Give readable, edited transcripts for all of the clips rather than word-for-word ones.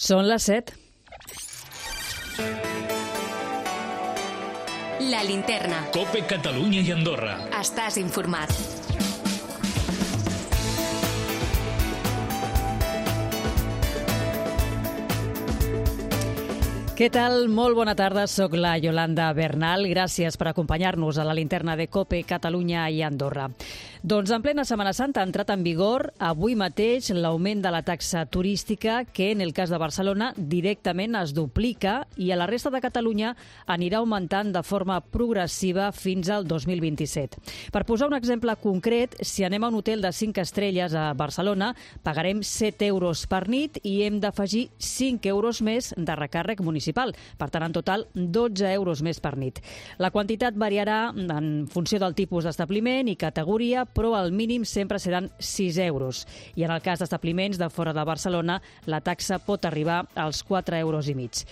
Són les 7. La Linterna. COPE Catalunya i Andorra. Estàs informat. Què tal? Molt bona tarda, soc la Yolanda Bernal. Gràcies per acompanyar-nos a la Linterna de COPE Catalunya i Andorra. Doncs en plena Setmana Santa ha entrat en vigor avui mateix l'augment de la taxa turística que en el cas de Barcelona directament es duplica i a la resta de Catalunya anirà augmentant de forma progressiva fins al 2027. Per posar un exemple concret, si anem a un hotel de 5 estrelles a Barcelona, pagarem 7 euros per nit i hem d'afegir 5 euros més de recàrrec municipal. Per tant, en total, 12 euros més per nit. La quantitat variarà en funció del tipus d'establiment i categoria, però al mínim sempre seran 6 euros. I en el cas d'establiments de fora de Barcelona, la taxa pot arribar als 4,5 euros.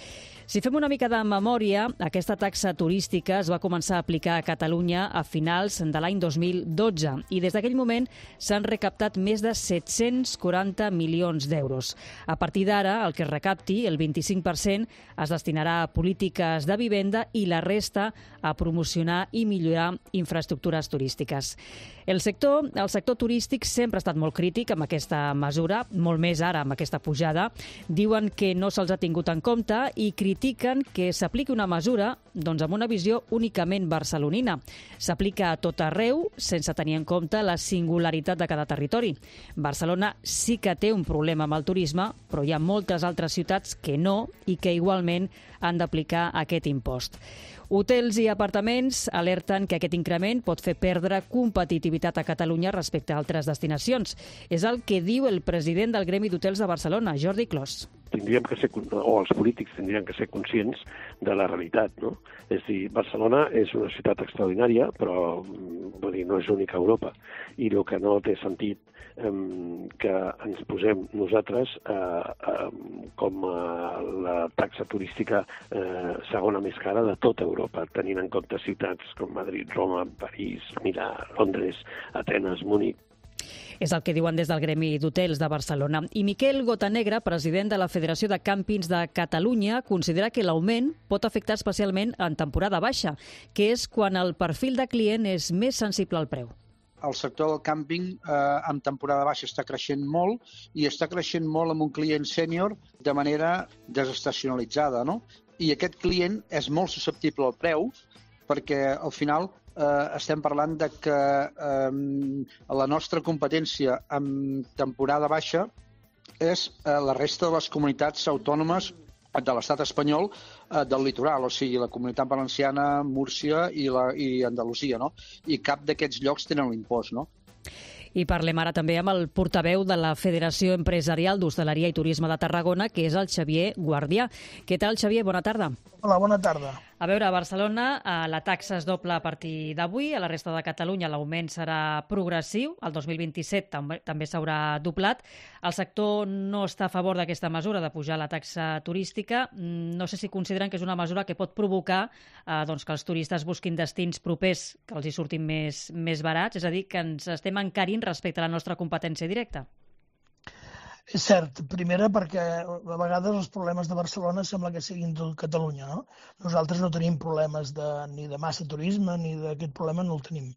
Si fem una mica de memòria, aquesta taxa turística es va començar a aplicar a Catalunya a finals de l'any 2012 i des d'aquell moment s'han recaptat més de 740 milions d'euros. A partir d'ara, el que es recapti, el 25%, es destinarà a polítiques de vivenda i la resta a promocionar i millorar infraestructures turístiques. El sector turístic sempre ha estat molt crític amb aquesta mesura, molt més ara amb aquesta pujada. Diuen que no se'ls ha tingut en compte i critiquen que s'apliqui una mesura amb una visió únicament barcelonina. S'aplica a tot arreu sense tenir en compte la singularitat de cada territori. Barcelona sí que té un problema amb el turisme, però hi ha moltes altres ciutats que no i que igualment han d'aplicar aquest impost. Hotels i apartaments alerten que aquest increment pot fer perdre competitivitat a Catalunya respecte a altres destinacions. És el que diu el president del Gremi d'Hotels de Barcelona, Jordi Clos. Els polítics tindrien que ser conscients de la realitat, no? És a dir, Barcelona és una ciutat extraordinària, però no és única a Europa. I el que no té sentit que ens posem nosaltres com la taxa turística segona més cara de tota Europa, tenint en compte ciutats com Madrid, Roma, París, Milà, Londres, Atenes, Múnich. És el que diuen des del Gremi d'Hotels de Barcelona. I Miquel Gotanegra, president de la Federació de Càmpings de Catalunya, considera que l'augment pot afectar especialment en temporada baixa, que és quan el perfil de client és més sensible al preu. El sector del càmping en temporada baixa està creixent molt i està creixent molt amb un client sènior de manera desestacionalitzada, no? I aquest client és molt susceptible al preu perquè al final estem parlant de que la nostra competència en temporada baixa és la resta de les comunitats autònomes de l'estat espanyol del litoral, o sigui, la Comunitat Valenciana, Múrcia i Andalusia, no? I cap d'aquests llocs tenen l'impost, no? I parlem ara també amb el portaveu de la Federació Empresarial d'Hostaleria i Turisme de Tarragona, que és el Xavier Guardià. Què tal, Xavier? Bona tarda. Hola, bona tarda. A veure, a Barcelona la taxa es dobla a partir d'avui, a la resta de Catalunya l'augment serà progressiu, el 2027 també s'haurà doblat. El sector no està a favor d'aquesta mesura de pujar la taxa turística. No sé si consideren que és una mesura que pot provocar que els turistes busquin destins propers que els hi surtin més barats, és a dir, que ens estem encarint respecte a la nostra competència directa. És cert, primera perquè a vegades els problemes de Barcelona sembla que siguin de Catalunya, no? Nosaltres no tenim problemes ni de massa turisme ni d'aquest problema no el tenim.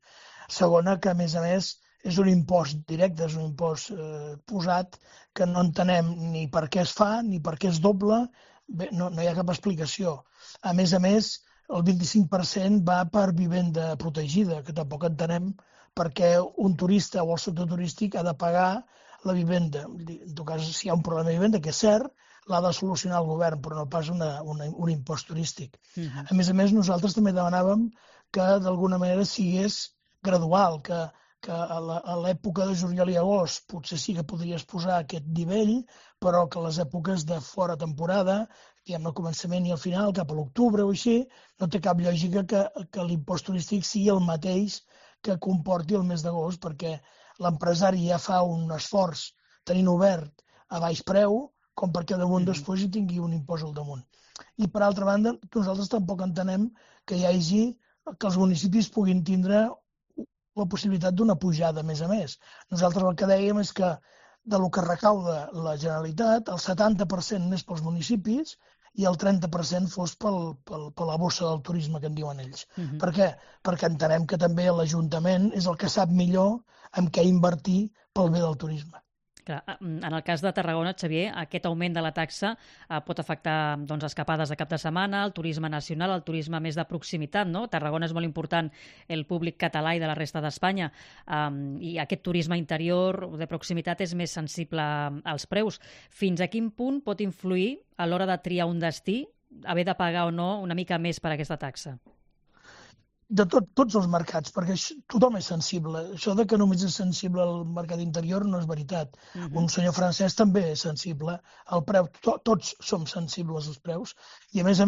Segona, que a més és un impost directe, és un impost posat que no entenem ni per què es fa ni per què es dobla, bé, no hi ha cap explicació. A més, el 25% va per vivenda protegida, que tampoc entenem per què un turista o el sector turístic ha de pagar la vivenda. En tot cas, si hi ha un problema de vivenda, que és cert, l'ha de solucionar el govern, però no pas un impost turístic. A més, nosaltres també demanàvem que d'alguna manera sigués gradual, que a l'època de juliol i agost potser sí que podries posar aquest nivell, però que les èpoques de fora temporada, diguem al començament i al final, cap a l'octubre o així, no té cap lògica que l'impost turístic sigui el mateix que comporti el mes d'agost, perquè l'empresari ja fa un esforç tenint obert a baix preu com perquè damunt després hi tingui un impost al damunt. I per altra banda, nosaltres tampoc entenem que els municipis puguin tindre la possibilitat d'una pujada a més. Nosaltres el que dèiem és que del que recauda la Generalitat, el 70% més pels municipis i el 30% fos per la bossa del turisme, que en diuen ells. Per què? Perquè entenem que també l'Ajuntament és el que sap millor en què invertir pel bé del turisme. Clar, en el cas de Tarragona, Xavier, aquest augment de la taxa pot afectar escapades de cap de setmana, el turisme nacional, el turisme més de proximitat, no? Tarragona és molt important el públic català i de la resta d'Espanya, i aquest turisme interior de proximitat és més sensible als preus. Fins a quin punt pot influir a l'hora de triar un destí haver de pagar o no una mica més per aquesta taxa? De tots els mercats, perquè tothom és sensible. Això de que només és sensible al mercat interior no és veritat. Un senyor francès també és sensible al preu. Tots som sensibles als preus. I, a més,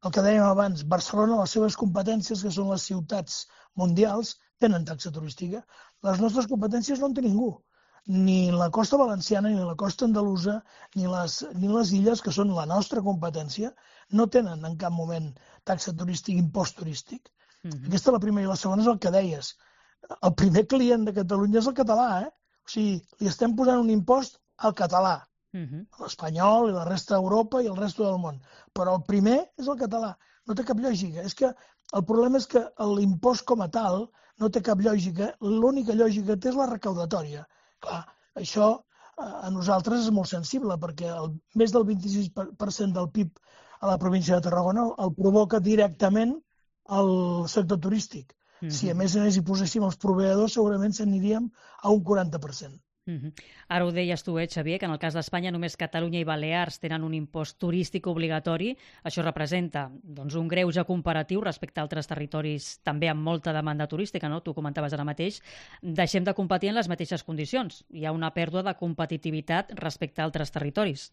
el que dèiem abans, Barcelona, les seves competències, que són les ciutats mundials, tenen taxa turística. Les nostres competències no en té ningú. Ni la costa valenciana, ni la costa andalusa, ni les illes, que són la nostra competència, no tenen en cap moment taxa turística, impost turístic. Aquesta és la primera. I la segona és el que deies. El primer client de Catalunya és el català, O sigui, li estem posant un impost al català, l'espanyol i la resta d'Europa i el resta del món. Però el primer és el català. No té cap lògica. És que el problema és que l'impost com a tal no té cap lògica. L'única lògica que té és la recaudatòria. Clar, això a nosaltres és molt sensible, perquè més del 26% del PIB a la província de Tarragona el provoca directament al sector turístic. Si a més hi poséssim els proveïdors, segurament s'aniríem a un 40%. Ara ho deies tu, Xavier, que en el cas d'Espanya només Catalunya i Balears tenen un impost turístic obligatori. Això representa un greuge comparatiu respecte a altres territoris també amb molta demanda turística, no? Tu comentaves ara mateix. Deixem de competir en les mateixes condicions. Hi ha una pèrdua de competitivitat respecte a altres territoris.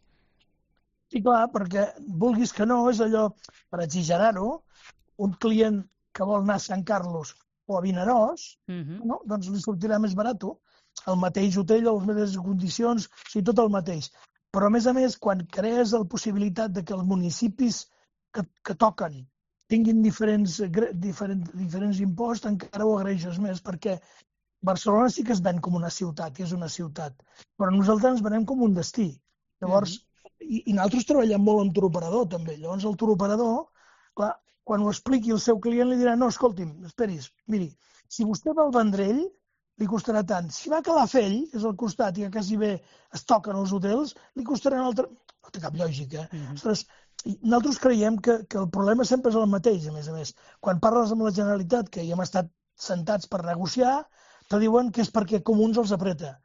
Sí, clar, perquè vulguis que no, és allò, per exagerar-ho, un client que vol anar a Sant Carlos o a Vinaròs, doncs li sortirà més barat. El mateix hotel, les mateixes condicions, o sigui, tot el mateix. Però, a més, quan crees la possibilitat de que els municipis que toquen tinguin diferents imposts, encara ho agraeixes més, perquè Barcelona sí que es ven com una ciutat, i és una ciutat, però nosaltres ens venem com un destí. Llavors, i nosaltres treballem molt amb turoperador, també. Llavors, el turoperador, clar, quan ho expliqui el seu client li dirà: no, escolti'm, esperis, miri, si vostè va al Vendrell li costarà tant. Si va a Calafell, que és al costat i que quasi bé es toquen els hotels, li costarà un altre... No té cap lògica. Ostres, nosaltres creiem que el problema sempre és el mateix, a més. Quan parles amb la Generalitat, que hi hem estat sentats per negociar, te diuen que és perquè Comuns els apreta.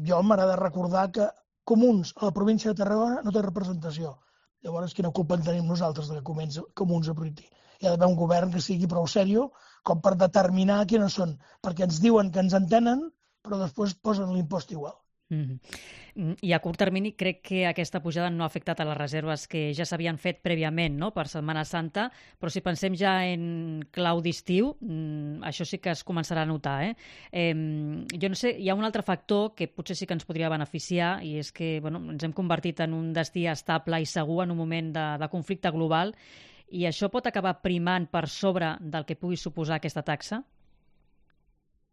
Jo m'agrada recordar que Comuns a la província de Tarragona no té representació. Llavors, quina culpa en tenim nosaltres de que Comuns apreti? Hi ha d'haver un govern que sigui prou seriós com per determinar quines són, perquè ens diuen que ens entenen, però després posen l'impost igual. I a curt termini crec que aquesta pujada no ha afectat a les reserves que ja s'havien fet prèviament, no?, per Setmana Santa, però si pensem ja en clau d'estiu, això sí que es començarà a notar. Jo no sé, hi ha un altre factor que potser sí que ens podria beneficiar, i és que ens hem convertit en un destí estable i segur en un moment de conflicte global, i això pot acabar primant per sobre del que pugui suposar aquesta taxa?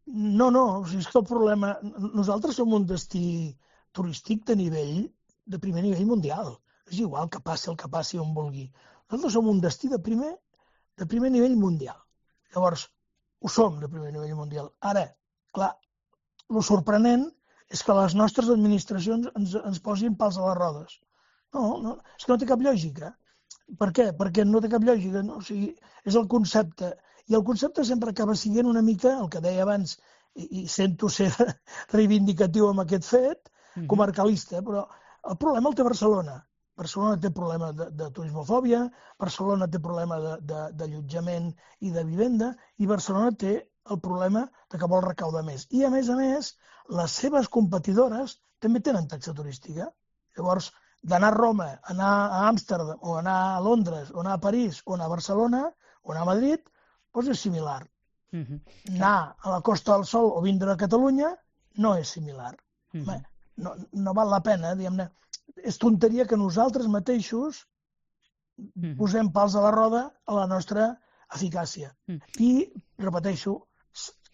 No, o sigui, és que el problema... Nosaltres som un destí turístic de primer nivell mundial. És igual que passi el que passi on vulgui. Nosaltres som un destí de primer nivell mundial. Llavors, ho som de primer nivell mundial. Ara, clar, el sorprenent és que les nostres administracions ens posin pals a les rodes. No, és que no té cap lògica. Per què? Perquè no té cap lògica. No? O sigui, és el concepte. I el concepte sempre acaba sent una mica, el que deia abans, i sento ser reivindicatiu amb aquest fet, comarcalista, però el problema el té Barcelona. Barcelona té problema de turismofòbia, Barcelona té problema d'allotjament i de vivenda, i Barcelona té el problema de que vol recaudar més. I, a més, les seves competidores també tenen taxa turística. Llavors, d'anar a Roma, anar a Amsterdam, o anar a Londres, o anar a París, o anar a Barcelona, o anar a Madrid, doncs és similar. Anar a la Costa del Sol o vindre a Catalunya no és similar. No val la pena, diguem-ne. És tonteria que nosaltres mateixos posem pals a la roda a la nostra eficàcia. I, repeteixo,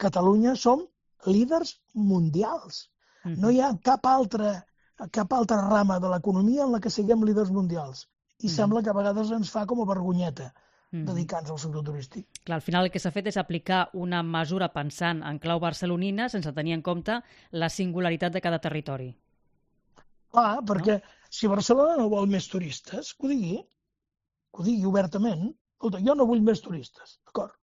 Catalunya som líders mundials. No hi ha cap altra rama de l'economia en la que siguem líders mundials. I sembla que a vegades ens fa com a vergonyeta dedicar-nos al sector turístic. Clar, al final el que s'ha fet és aplicar una mesura pensant en clau barcelonina sense tenir en compte la singularitat de cada territori. Clar, perquè si Barcelona no vol més turistes, que ho digui obertament. Escolta, jo no vull més turistes, d'acord?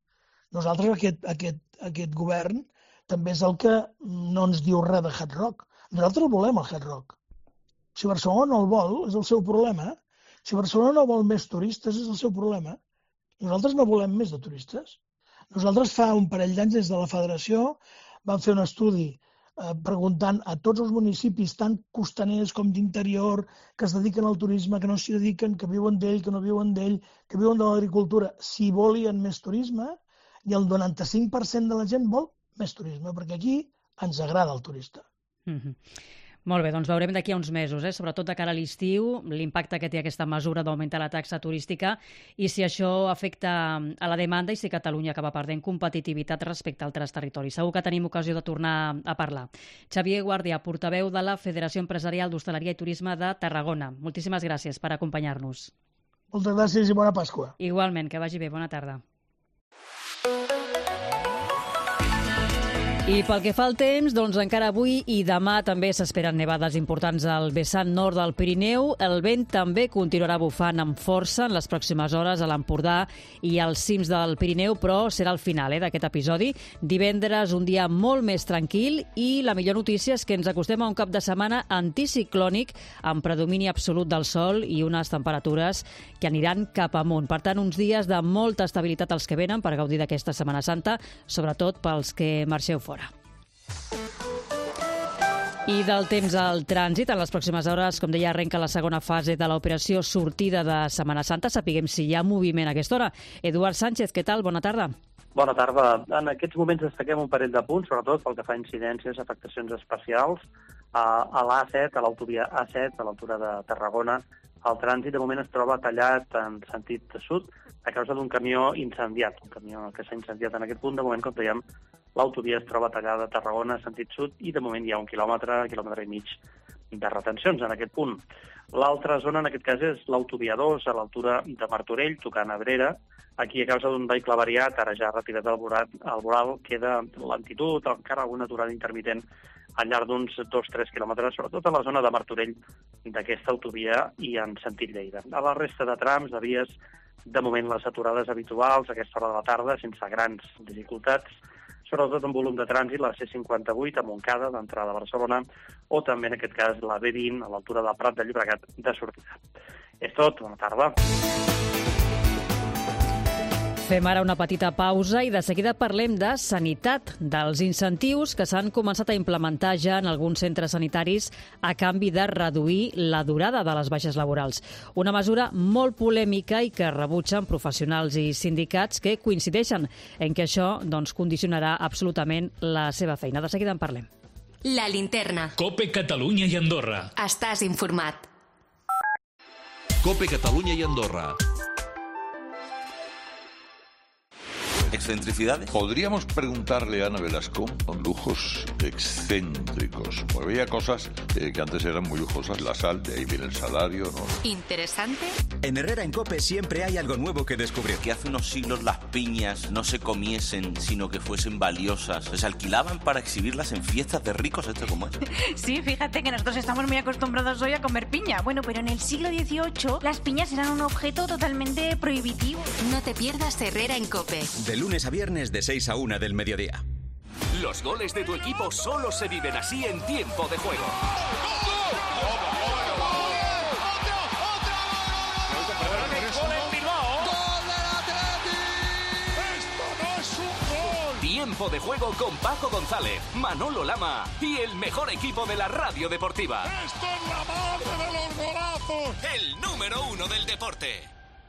Nosaltres, aquest govern, també és el que no ens diu res de Hard Rock. Nosaltres volem el Hard Rock. Si Barcelona no el vol, és el seu problema. Si Barcelona no vol més turistes, és el seu problema. Nosaltres no volem més de turistes. Nosaltres fa un parell d'anys des de la Federació vam fer un estudi preguntant a tots els municipis, tant costaners com d'interior, que es dediquen al turisme, que no s'hi dediquen, que viuen d'ell, que no viuen d'ell, que viuen de l'agricultura, si volien més turisme, i el 95% de la gent vol més turisme, perquè aquí ens agrada el turista. Molt bé, doncs veurem d'aquí a uns mesos, sobretot de cara a l'estiu, l'impacte que té aquesta mesura d'augmentar la taxa turística i si això afecta a la demanda i si Catalunya acaba perdent competitivitat respecte a altres territoris. Segur que tenim ocasió de tornar a parlar. Xavier Guàrdia, portaveu de la Federació Empresarial d'Hostaleria i Turisme de Tarragona. Moltíssimes gràcies per acompanyar-nos. Moltes gràcies i bona Pasqua. Igualment, que vagi bé. Bona tarda. I pel que fa al temps, doncs encara avui i demà també s'esperen nevades importants al vessant nord del Pirineu. El vent també continuarà bufant amb força en les pròximes hores a l'Empordà i als cims del Pirineu, però serà el final d'aquest episodi. Divendres, un dia molt més tranquil i la millor notícia és que ens acostem a un cap de setmana anticiclònic amb predomini absolut del sol i unes temperatures que aniran cap amunt. Per tant, uns dies de molta estabilitat als que venen per gaudir d'aquesta Setmana Santa, sobretot pels que marxeu fora. I del temps al trànsit, en les pròximes hores, com deia, arrenca la segona fase de l'operació sortida de Setmana Santa. Sapiguem si hi ha moviment a aquesta hora. Eduard Sánchez, què tal? Bona tarda. Bona tarda. En aquests moments destaquem un parell de punts, sobretot pel que fa a incidències, afectacions especials. A l'A7, a l'autovia A7, a l'altura de Tarragona, el trànsit de moment es troba tallat en sentit sud a causa d'un camió incendiat, un camió que s'ha incendiat en aquest punt. De moment, com dèiem, l'autovia es troba tallada a Tarragona en sentit sud i de moment hi ha un quilòmetre i mig de retencions en aquest punt. L'altra zona, en aquest cas, és l'autovia 2, a l'altura de Martorell, tocant Abrera. Aquí, a causa d'un vehicle variat, ara ja retirat al voral, queda lentitud, encara alguna aturada intermitent al llarg d'uns 2-3 quilòmetres, sobretot a la zona de Martorell d'aquesta autovia i en sentit Lleida. A la resta de trams, de vies, de moment les aturades habituals a aquesta hora de la tarda, sense grans dificultats, sobretot en volum de trànsit, la C58 a Montcada, d'entrada a Barcelona, o també, en aquest cas, la B20, a l'altura del Prat de Llobregat, de sortida. És tot, bona tarda. Fem ara una petita pausa i de seguida parlem de sanitat, dels incentius que s'han començat a implementar ja en alguns centres sanitaris a canvi de reduir la durada de les baixes laborals. Una mesura molt polèmica i que rebutgen professionals i sindicats que coincideixen en que això condicionarà absolutament la seva feina. De seguida en parlem. La linterna. COPE Catalunya i Andorra. Estàs informat. COPE Catalunya y Andorra. Excentricidades. Podríamos preguntarle a Ana Velasco con lujos excéntricos. Pues había cosas que antes eran muy lujosas. La sal, de ahí viene el salario, ¿no? ¿Interesante? En Herrera en COPE siempre hay algo nuevo que descubrir. Que hace unos siglos las piñas no se comiesen, sino que fuesen valiosas. Se alquilaban para exhibirlas en fiestas de ricos, ¿esto cómo es? Sí, fíjate que nosotros estamos muy acostumbrados hoy a comer piña. Bueno, pero en el siglo XVIII las piñas eran un objeto totalmente prohibitivo. No te pierdas Herrera en COPE. De lunes a viernes de 6 a 1 del mediodía. Los goles de tu equipo solo se viven así en tiempo de juego. Tiempo de juego con Paco González, Manolo Lama y el mejor equipo de la radio deportiva. ¡Esto es la madre de los golazos! El número 1 del deporte.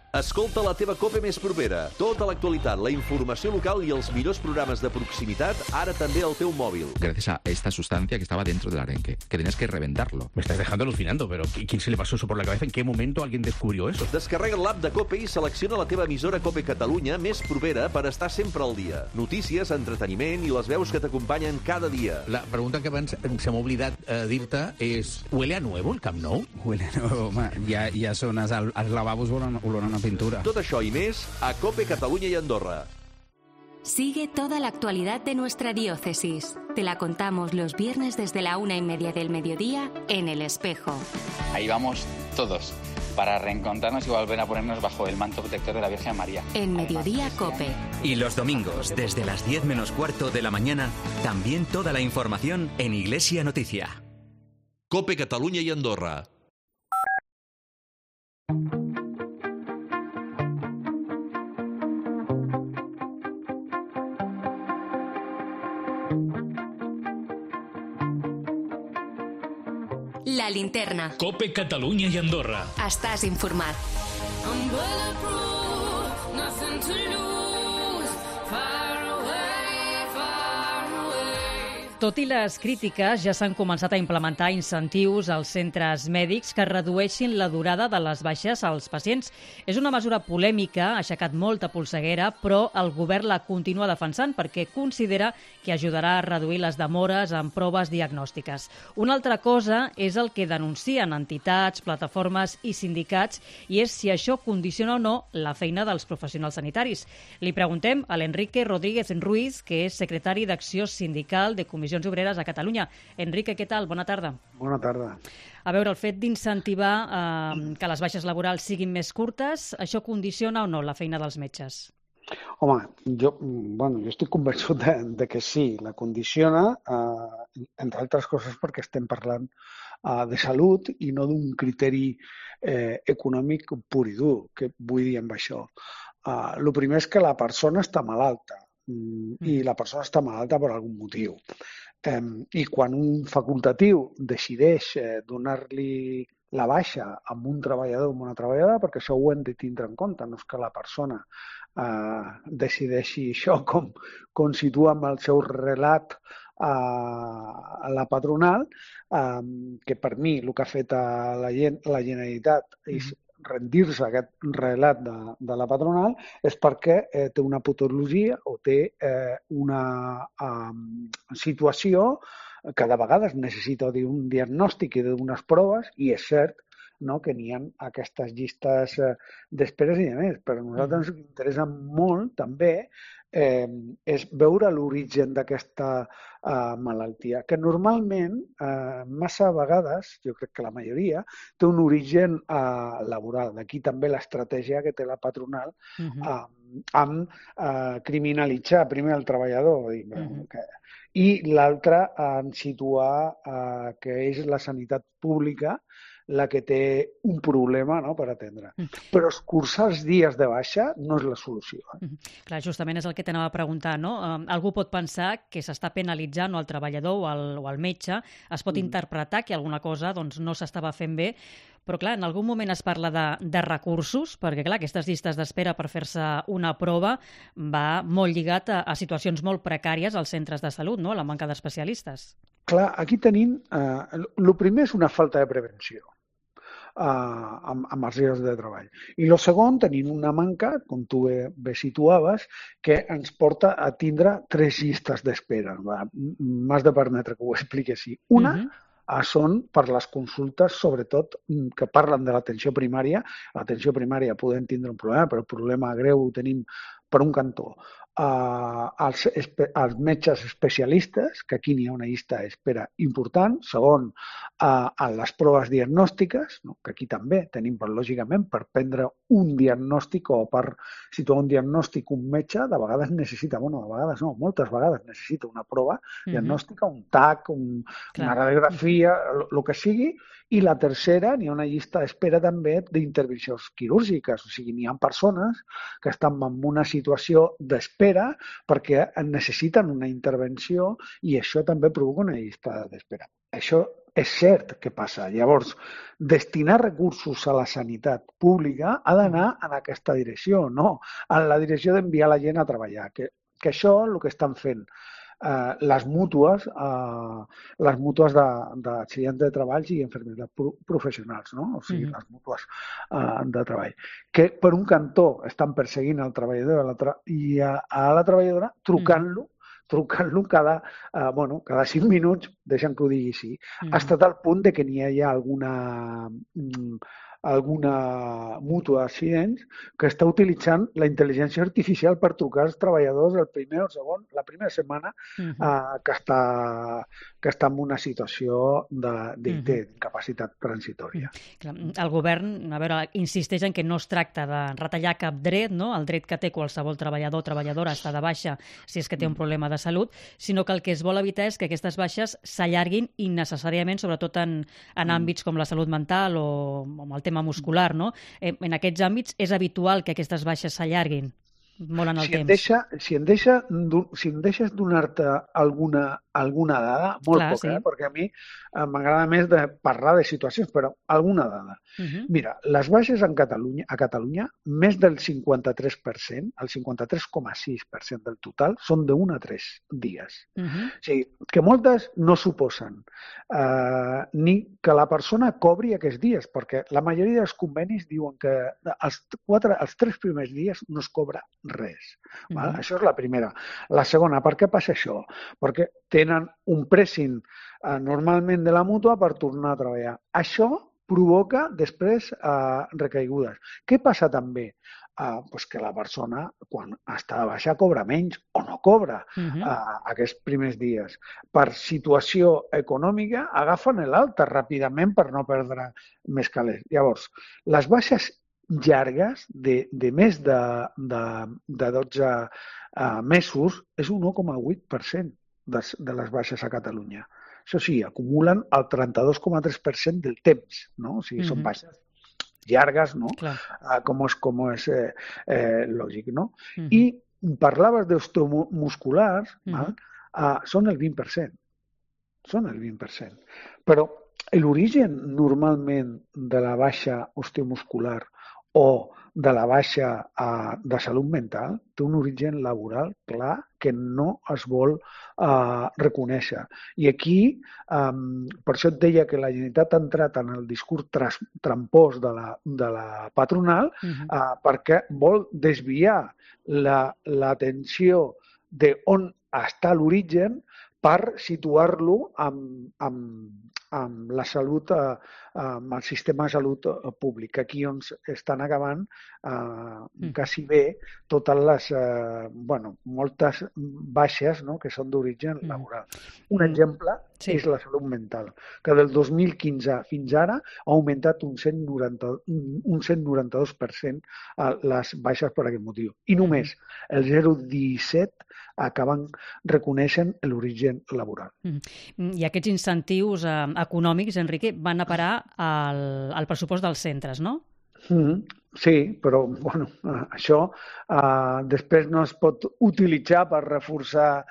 Escolta la teva COPE més propera. Tota l'actualitat, la informació local i els millors programes de proximitat, ara també al teu mòbil. Gracias a esta sustancia que estaba dentro del arenque, que tenías que reventarlo. Me estás dejando alucinando, pero ¿quién se le pasó eso por la cabeza? ¿En qué momento alguien descubrió eso? Descarrega l'app de COPE i selecciona la teva emissora COPE Catalunya més propera per estar sempre al dia. Notícies, entreteniment i les veus que t'acompanyen cada dia. La pregunta que abans se m'ha oblidat dir-te és: ¿huele a nuevo el Camp Nou? Huele a nuevo, home. Ja són els lavabos olorant a pintura. Tot això i més a COPE Catalunya i Andorra. Sigue toda la actualidad de nuestra diócesis. Te la contamos los viernes desde la 1:30 del mediodía en El Espejo. Ahí vamos todos, para reencontrarnos y volver a ponernos bajo el manto protector de la Virgen María. En Mediodía COPE. Y los domingos, desde las 10 menos cuarto de la mañana, también toda la información en Iglesia Noticia. COPE Catalunya i Andorra. La Linterna. COPE Catalunya i Andorra. Estàs informat. Tot i les crítiques, ja s'han començat a implementar incentius als centres mèdics que redueixin la durada de les baixes als pacients. És una mesura polèmica, ha aixecat molta polseguera, però el govern la continua defensant perquè considera que ajudarà a reduir les demores en proves diagnòstiques. Una altra cosa és el que denuncien entitats, plataformes i sindicats, i és si això condiciona o no la feina dels professionals sanitaris. Li preguntem a l'Enrique Rodríguez Ruiz, que és secretari d'Acció Sindical de Comissions Obreres a Catalunya. Enrique, què tal? Bona tarda. Bona tarda. A veure, el fet d'incentivar que les baixes laborals siguin més curtes, això condiciona o no la feina dels metges? Home, jo estic convençut de que sí, la condiciona, entre altres coses perquè estem parlant de salut i no d'un criteri econòmic pur i dur. Què vull dir amb això? El primer és que la persona està malalta i la persona està malalta per algun motiu. I quan un facultatiu decideix donar-li la baixa amb un treballador o amb una treballadora, perquè això ho hem de tindre en compte, no és que la persona decideixi això com situa amb el seu relat a la patronal, que per mi el que ha fet la Generalitat és rendir-se aquest relat de la patronal és perquè té una patologia o té una situació que de vegades necessita un diagnòstic i d'unes proves, i és cert que n'hi ha aquestes llistes d'esperes i de més, però a nosaltres ens interessa molt també és veure l'origen d'aquesta malaltia, que normalment, massa vegades, jo crec que la majoria, té un origen laboral. D'aquí també l'estratègia que té la patronal amb criminalitzar primer el treballador i l'altre en situar que és la sanitat pública la que té un problema per atendre. Però escurçar els dies de baixa no és la solució. Clar, justament és el que t'anava a preguntar, no? Algú pot pensar que s'està penalitzant el treballador o el metge, es pot interpretar que alguna cosa no s'estava fent bé, però clar, en algun moment es parla de recursos, perquè clar, aquestes llistes d'espera per fer-se una prova va molt lligat a situacions molt precàries als centres de salut, no? La manca d'especialistes. Clar, aquí tenim... El primer és una falta de prevenció amb els llocs de treball. I el segon, tenim una manca, com tu bé situaves, que ens porta a tindre 3 llistes d'espera. M'has de permetre que ho expliqui així. Una són per les consultes, sobretot, que parlen de l'atenció primària. L'atenció primària podem tindre un problema, però el problema greu ho tenim per un cantó. Els metges especialistes, que aquí n'hi ha una llista d'espera important. Segon, les proves diagnòstiques, que aquí també tenim, però lògicament per prendre un diagnòstic o per situar un diagnòstic un metge, de vegades necessita, de vegades no, moltes vegades necessita una prova diagnòstica, un TAC, una radiografia, el que sigui. I la tercera, n'hi ha una llista d'espera també d'intervencions quirúrgiques. O sigui, n'hi ha persones que estan en una situació d'espera perquè necessiten una intervenció i això també provoca una llista d'espera. Això és cert que passa. Llavors, destinar recursos a la sanitat pública ha d'anar en aquesta direcció, no en la direcció d'enviar la gent a treballar, que això és el que estan fent les mútues d'accidents de treballs i infermeries professionals, no? O sigui, les mútues de treball, que per un cantó estan perseguint el treballador i a la treballadora trucant-lo cada 5 minuts, deixa'm que ho digui així, fins al punt de que n'hi hagi alguna mútua d'accidents que està utilitzant la intel·ligència artificial per trucar als treballadors el primer o el segon, la primera setmana que està en una situació d'incapacitat transitòria. El govern, a veure, insisteix en que no es tracta de retallar cap dret, no? El dret que té qualsevol treballador o treballadora està de baixa si és que té un problema de salut, sinó que el que es vol evitar és que aquestes baixes s'allarguin innecessàriament, sobretot en àmbits com la salut mental o amb el tema muscular, no? En aquests àmbits és habitual que aquestes baixes s'allarguin molt en el temps. Si em deixes donar-te alguna dada, molt poca, perquè a mi m'agrada més de parlar de situacions, però alguna dada. Mira, les baixes a Catalunya, més del 53%, el 53,6% del total, són de 1 a 3 dies. O sigui, que moltes no suposen ni que la persona cobri aquests dies, perquè la majoria dels convenis diuen que els 3 primers dies no es cobra res. Això és la primera. La segona, per què passa això? Perquè tenen un pressing normalment de la mútua per tornar a treballar. Això provoca després recaigudes. Què passa també? Que la persona, quan està de baixa, cobra menys o no cobra aquests primers dies. Per situació econòmica, agafen l'alta ràpidament per no perdre més calés. Llavors, les baixes llargues de més de 12 mesos és un 1,8% de les baixes a Catalunya. Això sí, acumulen el 32,3% del temps, no? O sigui, són baixes llargues, no? Com és lògic, no? I parlaves d'osteomusculars, són el 20%. Són el 20%. Però l'origen normalment de la baixa osteomuscular o de la baixa de salut mental té un origen laboral clar que no es vol reconèixer. I aquí, per això et deia que la Generalitat ha entrat en el discurs trampós de la patronal perquè vol desviar l'atenció d'on està l'origen per situar-lo amb la salut, amb el sistema de salut públic. Aquí on estan acabant quasi bé totes les, moltes baixes que són d'origen laboral. Un exemple és la salut mental, que del 2015 fins ara ha augmentat un 192% les baixes per aquest motiu. I només el 0,17 acaben reconeixent l'origen laboral. I aquests incentius econòmics, Enrique, van a parar al pressupost dels centres, no? Sí, però això després no es pot utilitzar per reforçar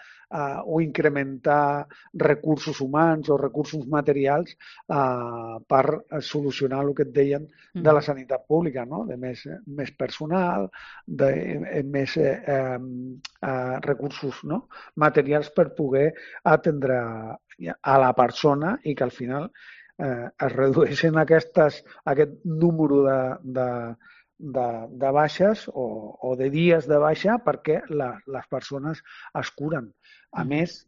o incrementar recursos humans o recursos materials per solucionar el que et deien de la sanitat pública, no? De més personal, de més recursos materials per poder atendre a la persona i que al final es redueixen aquest número de baixes o de dies de baixa perquè les persones es curen. A més,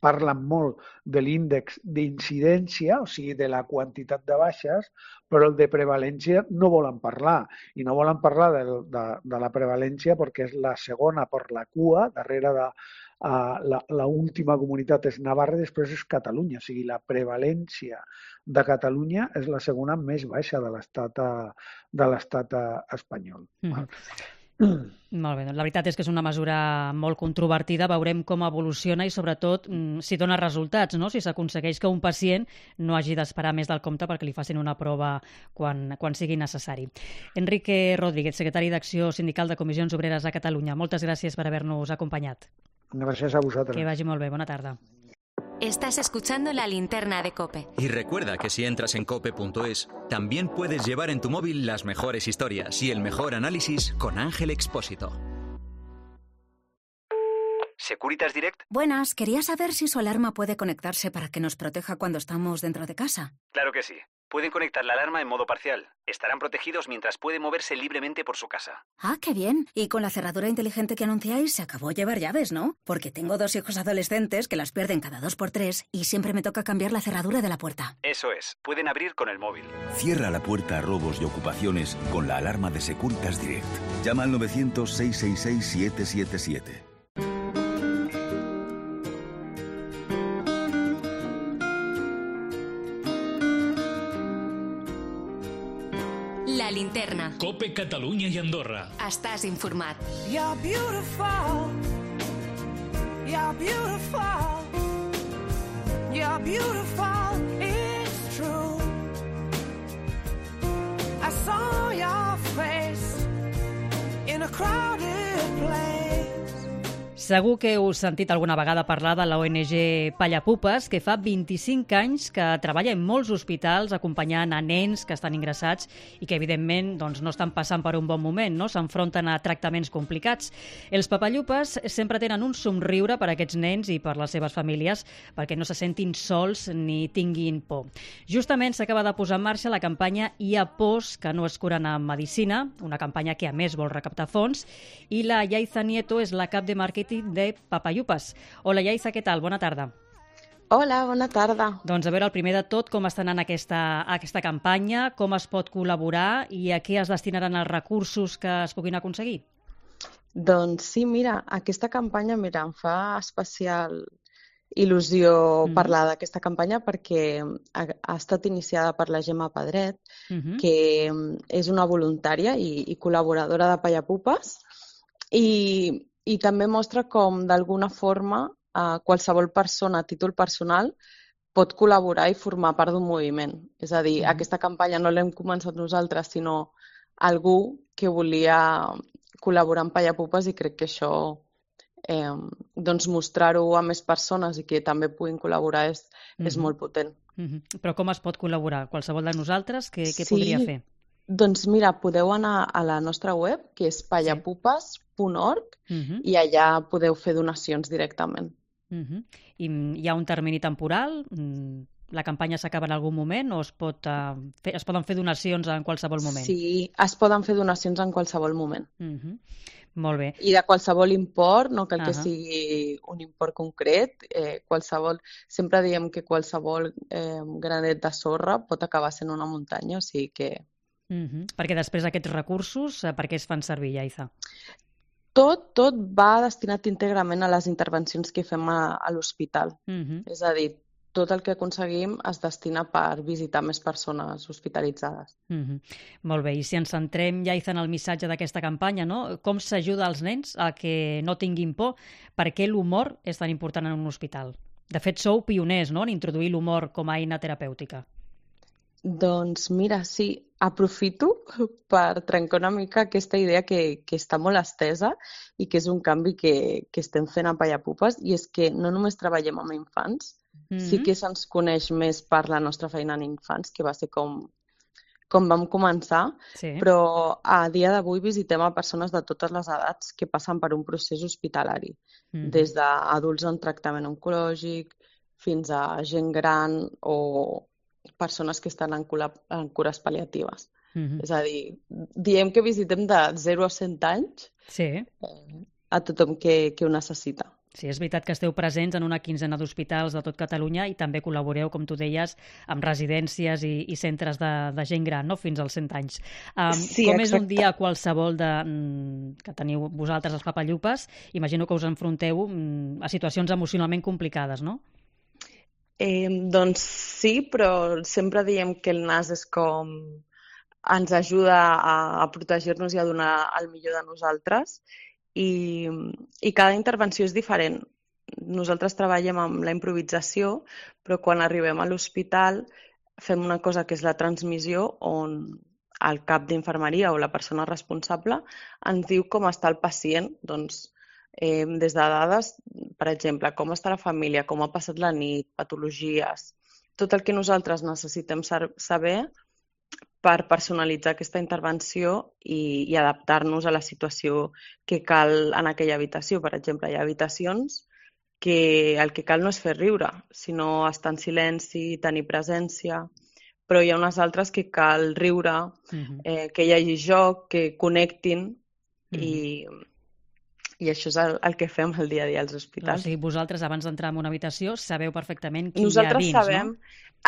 parlen molt de l'índex d'incidència, o sigui, de la quantitat de baixes, però el de prevalència no volen parlar. I no volen parlar de la prevalència perquè és la segona per la cua, darrere de l'última comunitat és Navarra i després és Catalunya. O sigui, la prevalència de Catalunya és la segona més baixa de l'estat espanyol. Molt bé, doncs la veritat és que és una mesura molt controvertida, veurem com evoluciona i sobretot si dona resultats, no? Si s'aconsegueix que un pacient no hagi d'esperar més del compte perquè li facin una prova quan sigui necessari. Enrique Rodríguez, secretari d'Acció Sindical de Comissions Obreres a Catalunya, moltes gràcies per haver-nos acompanyat. Gràcies a vosaltres. Que vagi molt bé, bona tarda. Estás escuchando La Linterna de COPE. Y recuerda que si entras en cope.es, también puedes llevar en tu móvil las mejores historias y el mejor análisis con Ángel Expósito. ¿Securitas Direct? Buenas, quería saber si su alarma puede conectarse para que nos proteja cuando estamos dentro de casa. Claro que sí. Pueden conectar la alarma en modo parcial. Estarán protegidos mientras puede moverse libremente por su casa. Ah, qué bien. Y con la cerradura inteligente que anunciáis, se acabó llevar llaves, ¿no? Porque tengo 2 hijos adolescentes que las pierden cada 2x3 y siempre me toca cambiar la cerradura de la puerta. Eso es. Pueden abrir con el móvil. Cierra la puerta a robos y ocupaciones con la alarma de Securitas Direct. Llama al 900-666-777. La Linterna. COPE Catalunya i Andorra. Estàs informat. You're beautiful. You're beautiful. You're beautiful. It's true. I saw your face in a crowded place. Segur que heu sentit alguna vegada parlar de la ONG Pallapupes, que fa 25 anys que treballa en molts hospitals acompanyant a nens que estan ingressats i que, evidentment, doncs, no estan passant per un bon moment, no? S'enfronten a tractaments complicats. Els Papallupes sempre tenen un somriure per a aquests nens i per les seves famílies perquè no se sentin sols ni tinguin por. Justament s'acaba de posar en marxa la campanya Hi ha pors que no es curen amb medicina, una campanya que a més vol recaptar fons, i la Yaiza Nieto és la cap de màrqueting de Papallupes. Hola, Yaiza, què tal? Bona tarda. Hola, bona tarda. Doncs a veure, el primer de tot, com està anant aquesta campanya, com es pot col·laborar i a què es destinaran els recursos que es puguin aconseguir? Doncs sí, mira, aquesta campanya, em fa especial il·lusió parlar d'aquesta campanya perquè ha estat iniciada per la Gemma Pedret, que és una voluntària i col·laboradora de Pallapupes, i també mostra com, d'alguna forma, qualsevol persona a títol personal pot col·laborar i formar part d'un moviment. És a dir, aquesta campanya no l'hem començat nosaltres, sinó algú que volia col·laborar amb Pallapupes i crec que això, mostrar-ho a més persones i que també puguin col·laborar és molt potent. Però com es pot col·laborar? Qualsevol de nosaltres? Què podria fer? Doncs mira, podeu anar a la nostra web, que és pallapupes.org, i allà podeu fer donacions directament. I hi ha un termini temporal? La campanya s'acaba en algun moment o es poden fer donacions en qualsevol moment? Sí, es poden fer donacions en qualsevol moment. Molt bé. I de qualsevol import, no cal que sigui un import concret, sempre diem que qualsevol granet de sorra pot acabar sent una muntanya, o sigui que... Perquè després aquests recursos, per què es fan servir, Yaiza? Tot va destinat íntegrament a les intervencions que fem a l'hospital. És a dir, tot el que aconseguim es destina per visitar més persones hospitalitzades. Molt bé, i si ens centrem, Yaiza, en el missatge d'aquesta campanya, no? Com s'ajuda als nens a que no tinguin por? Per què l'humor és tan important en un hospital? De fet, sou pioners, no?, en introduir l'humor com a eina terapèutica. Doncs mira, sí, aprofito per trencar una mica aquesta idea que està molt estesa i que és un canvi que estem fent a Pallapupes, i és que no només treballem amb infants, sí que se'ns coneix més per la nostra feina en infants, que va ser com vam començar, però a dia d'avui visitem a persones de totes les edats que passen per un procés hospitalari, des d'adults en tractament oncològic fins a gent gran o persones que estan en cures pal·liatives. És a dir, diem que visitem de 0 a 100 anys a tothom que ho necessita. Sí, és veritat que esteu presents en una quinzena d'hospitals de tot Catalunya i també col·laboreu, com tu deies, amb residències i centres de gent gran, no?, fins als 100 anys. Com és un dia qualsevol que teniu vosaltres, els Papallupes? Imagino que us enfronteu a situacions emocionalment complicades, no? Doncs sí, però sempre diem que el nas és com ens ajuda a protegir-nos i a donar el millor de nosaltres, i cada intervenció és diferent. Nosaltres treballem amb la improvisació, però quan arribem a l'hospital fem una cosa que és la transmissió, on el cap d'infermeria o la persona responsable ens diu com està el pacient, doncs des de dades, per exemple, com està la família, com ha passat la nit, patologies, tot el que nosaltres necessitem saber per personalitzar aquesta intervenció i adaptar-nos a la situació que cal en aquella habitació. Per exemple, hi ha habitacions que el que cal no és fer riure, sinó estar en silenci, tenir presència, però hi ha unes altres que cal riure, que hi hagi joc, que connectin i això és el que fem el dia a dia als hospitals. O sigui, vosaltres, abans d'entrar en una habitació, sabeu perfectament qui nosaltres hi ha dins, sabem, no?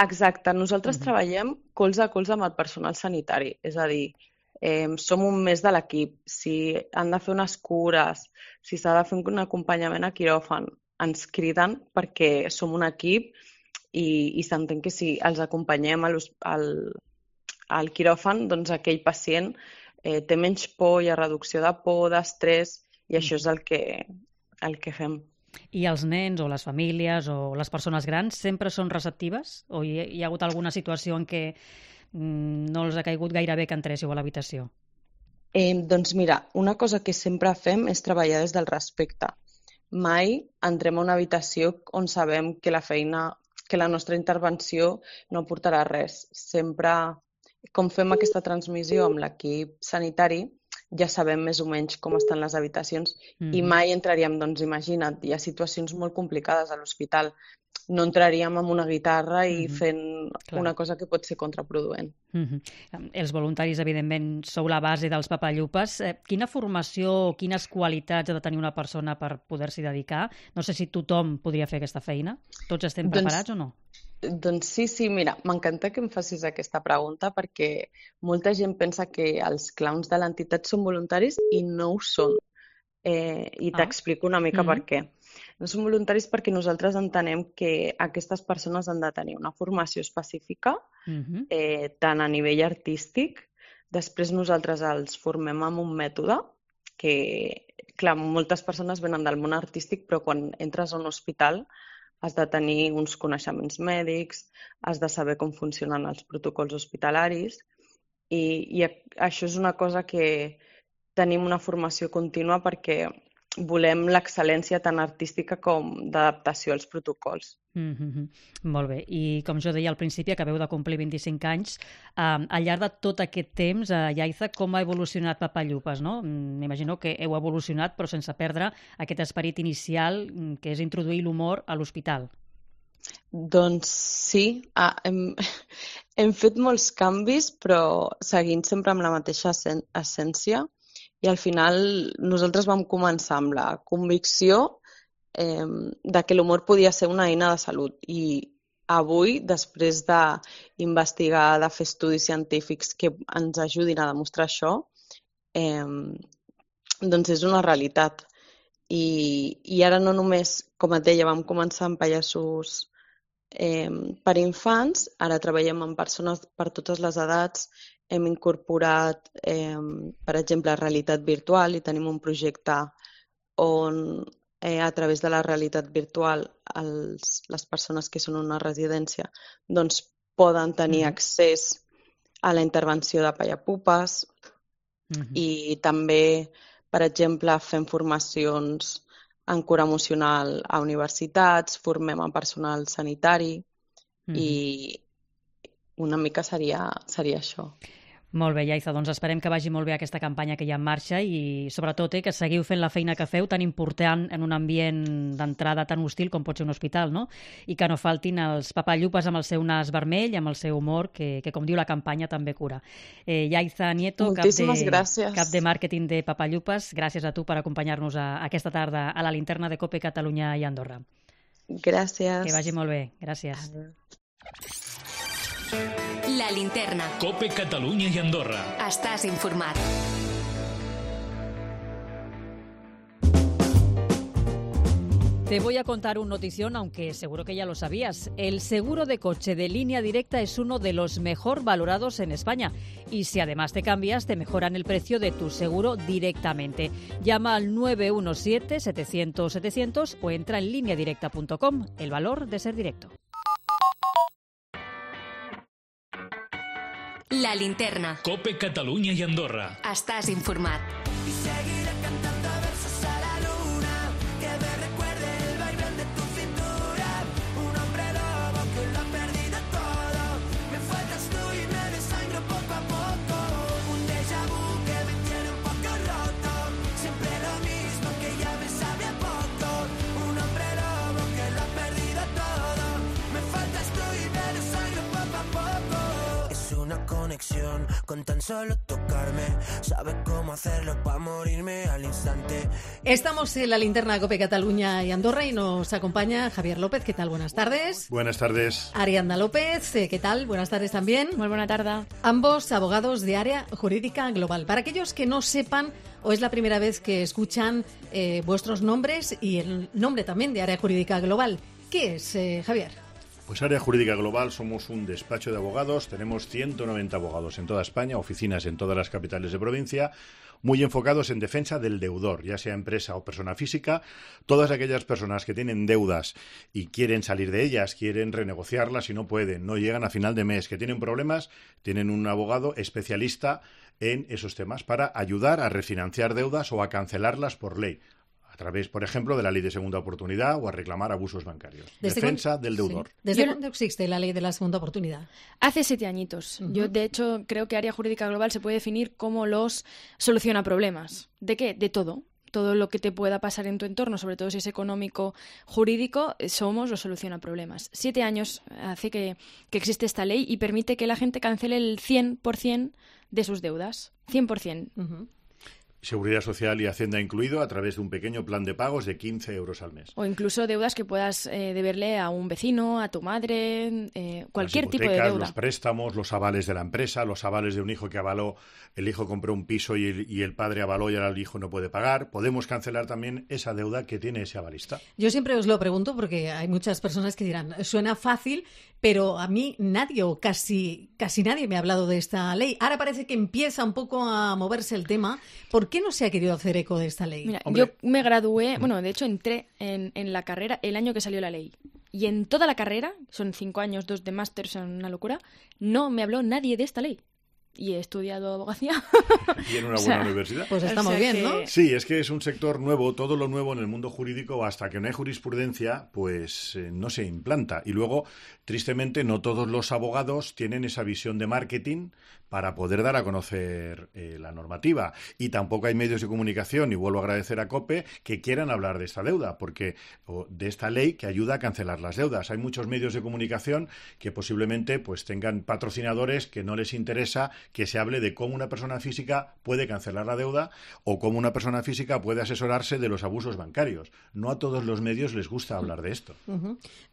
Exacte, nosaltres treballem colze a colze amb el personal sanitari, és a dir, som un mes de l'equip. Si han de fer unes cures, si s'ha de fer un acompanyament a quiròfan, ens criden perquè som un equip i s'entén que si els acompanyem al quiròfan, doncs aquell pacient té menys por, hi ha reducció de por, d'estrès, i això és el que fem. I els nens o les famílies o les persones grans sempre són receptives? O hi ha hagut alguna situació en què no els ha caigut gaire bé que entréssiu a l'habitació? Doncs mira, una cosa que sempre fem és treballar des del respecte. Mai entrem a una habitació on sabem que la nostra intervenció no aportarà res. Sempre, com fem aquesta transmissió amb l'equip sanitari, ja sabem més o menys com estan les habitacions i mai entraríem, doncs imagina't, hi ha situacions molt complicades a l'hospital. No entraríem amb una guitarra i fent una cosa que pot ser contraproduent. Els voluntaris, evidentment, sou la base dels papallupes. Quina formació o quines qualitats ha de tenir una persona per poder-s'hi dedicar? No sé si tothom podria fer aquesta feina. Tots estem preparats o no? Doncs sí, mira, m'encanta que em facis aquesta pregunta perquè molta gent pensa que els clowns de l'entitat són voluntaris i no ho són. I t'explico una mica per què. No són voluntaris perquè nosaltres entenem que aquestes persones han de tenir una formació específica, tant a nivell artístic. Després nosaltres els formem amb un mètode que, clar, moltes persones venen del món artístic, però quan entres a un hospital has de tenir uns coneixements mèdics, has de saber com funcionen els protocols hospitalaris i això és una cosa que tenim una formació contínua perquè volem l'excel·lència tant artística com d'adaptació als protocols. Molt bé. I com jo deia al principi, acabeu de complir 25 anys. Al llarg de tot aquest temps, Yaiza, com ha evolucionat Papallupes, no? M'imagino que heu evolucionat, però sense perdre aquest esperit inicial, que és introduir l'humor a l'hospital. Doncs sí, hem fet molts canvis, però seguint sempre amb la mateixa essència. I al final nosaltres vam començar amb la convicció de que l'humor podia ser una eina de salut. I avui, després d'investigar, de fer estudis científics que ens ajudin a demostrar això, doncs és una realitat. I ara no només, com et deia, vam començar amb pallassos per infants, ara treballem amb persones per totes les edats, hem incorporat, per exemple, realitat virtual i tenim un projecte on a través de la realitat virtual les persones que són en una residència doncs poden tenir accés a la intervenció de pallapupes i també, per exemple, fem formacions en cura emocional a universitats, formem a personal sanitari i una mica seria això. Molt bé, Yaiza, doncs esperem que vagi molt bé aquesta campanya que hi ha en marxa i sobretot que seguiu fent la feina que feu tan important en un ambient d'entrada tan hostil com pot ser un hospital, no? I que no faltin els papallupes amb el seu nas vermell, amb el seu humor, que com diu la campanya també cura. Yaiza Nieto, cap de màrqueting de Papallupes, gràcies a tu per acompanyar-nos aquesta tarda a la linterna de COPE Catalunya i Andorra. Gràcies. Que vagi molt bé, gràcies. La linterna. COPE Catalunya y Andorra. Estás informat. Te voy a contar un notición, aunque seguro que ya lo sabías. El seguro de coche de Línea Directa es uno de los mejor valorados en España. Y si además te cambias, te mejoran el precio de tu seguro directamente. Llama al 917-700-700 o entra en lineadirecta.com. El valor de ser directo. La linterna. COPE Catalunya i Andorra. Estàs informat. Y seguiré cantando versos a la luna. con tan solo tocarme. Sabes cómo hacerlo para morirme al instante. Estamos en la linterna de COPE Cataluña y Andorra y nos acompaña Javier López. ¿Qué tal? Buenas tardes. Buenas tardes. Ariadna López. ¿Qué tal? Buenas tardes también. Muy buena tarde. Ambos abogados de Área Jurídica Global. Para aquellos que no sepan o es la primera vez que escuchan vuestros nombres y el nombre también de Área Jurídica Global, ¿qué es, Javier? Pues Área Jurídica Global somos un despacho de abogados, tenemos 190 abogados en toda España, oficinas en todas las capitales de provincia, muy enfocados en defensa del deudor, ya sea empresa o persona física. Todas aquellas personas que tienen deudas y quieren salir de ellas, quieren renegociarlas y no pueden, no llegan a final de mes, que tienen problemas, tienen un abogado especialista en esos temas para ayudar a refinanciar deudas o a cancelarlas por ley. A través, por ejemplo, de la ley de segunda oportunidad o a reclamar abusos bancarios. Defensa del deudor. Sí. ¿Desde cuándo existe la ley de la segunda oportunidad? Hace 7 añitos. Yo, de hecho, creo que Área Jurídica Global se puede definir como los soluciona problemas. ¿De qué? De todo. Todo lo que te pueda pasar en tu entorno, sobre todo si es económico, jurídico, somos los soluciona problemas. 7 años hace que existe esta ley y permite que la gente cancele el 100% de sus deudas. 100%. Seguridad Social y Hacienda incluido, a través de un pequeño plan de pagos de 15 euros al mes. O incluso deudas que puedas deberle a un vecino, a tu madre, cualquier tipo de deuda. Los préstamos, los avales de la empresa, los avales de un hijo que avaló, el hijo compró un piso y el padre avaló y ahora el hijo no puede pagar. Podemos cancelar también esa deuda que tiene ese avalista. Yo siempre os lo pregunto porque hay muchas personas que dirán, suena fácil, pero a mí nadie o casi nadie me ha hablado de esta ley. Ahora parece que empieza un poco a moverse el tema. ¿Por qué no se ha querido hacer eco de esta ley? Mira, yo me gradué, de hecho entré en la carrera el año que salió la ley. Y en toda la carrera, son 5 años, 2 de máster, son una locura, no me habló nadie de esta ley. Y he estudiado abogacía. Y en una buena universidad. Pues está muy bien, ¿no? Sí, es que es un sector nuevo, todo lo nuevo en el mundo jurídico, hasta que no hay jurisprudencia, pues no se implanta. Y luego, tristemente, no todos los abogados tienen esa visión de marketing para poder dar a conocer la normativa. Y tampoco hay medios de comunicación, y vuelvo a agradecer a COPE, que quieran hablar de esta deuda, o de esta ley que ayuda a cancelar las deudas. Hay muchos medios de comunicación que posiblemente pues tengan patrocinadores que no les interesa que se hable de cómo una persona física puede cancelar la deuda o cómo una persona física puede asesorarse de los abusos bancarios. No a todos los medios les gusta hablar de esto.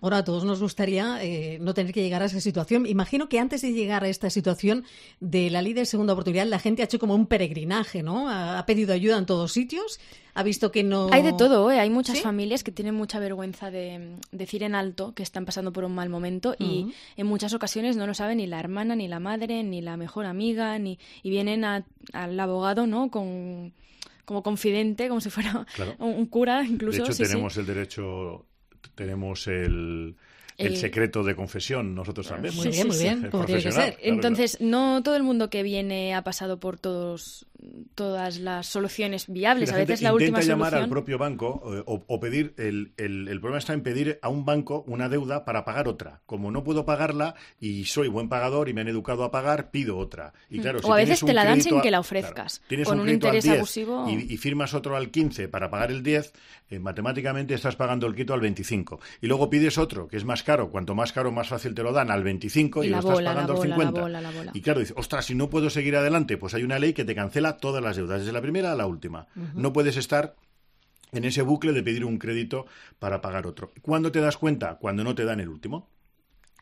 Ahora, a todos nos gustaría no tener que llegar a esa situación. Imagino que antes de llegar a esta situación de la ley de segunda oportunidad, la gente ha hecho como un peregrinaje, ¿no? Ha pedido ayuda en todos sitios, ha visto que no... Hay de todo, Hay muchas familias que tienen mucha vergüenza de decir en alto que están pasando por un mal momento y en muchas ocasiones no lo sabe ni la hermana, ni la madre, ni la mejor amiga, y vienen al abogado, ¿no? Como confidente, como si fuera un cura, incluso. De hecho, tenemos el derecho, tenemos el secreto de confesión, nosotros también. Muy bien, como tiene que ser. Entonces, no todo el mundo que viene ha pasado por todas las soluciones viables. A veces la última solución... Intenta llamar al propio banco o pedir... El problema está en pedir a un banco una deuda para pagar otra. Como no puedo pagarla y soy buen pagador y me han educado a pagar, pido otra. Y claro, o a veces te la dan sin que la ofrezcas. Tienes con un interés abusivo. Y firmas otro al 15 para pagar el 10, matemáticamente estás pagando el quito al 25. Y luego pides otro, que es más caro. Cuanto más caro, más fácil te lo dan al 25 y lo estás pagando al 50. La bola. Y claro, dices, ostras, si no puedo seguir adelante, pues hay una ley que te cancela todas las deudas, desde la primera a la última. No puedes estar en ese bucle de pedir un crédito para pagar otro. ¿Cuándo te das cuenta? Cuando no te dan el último.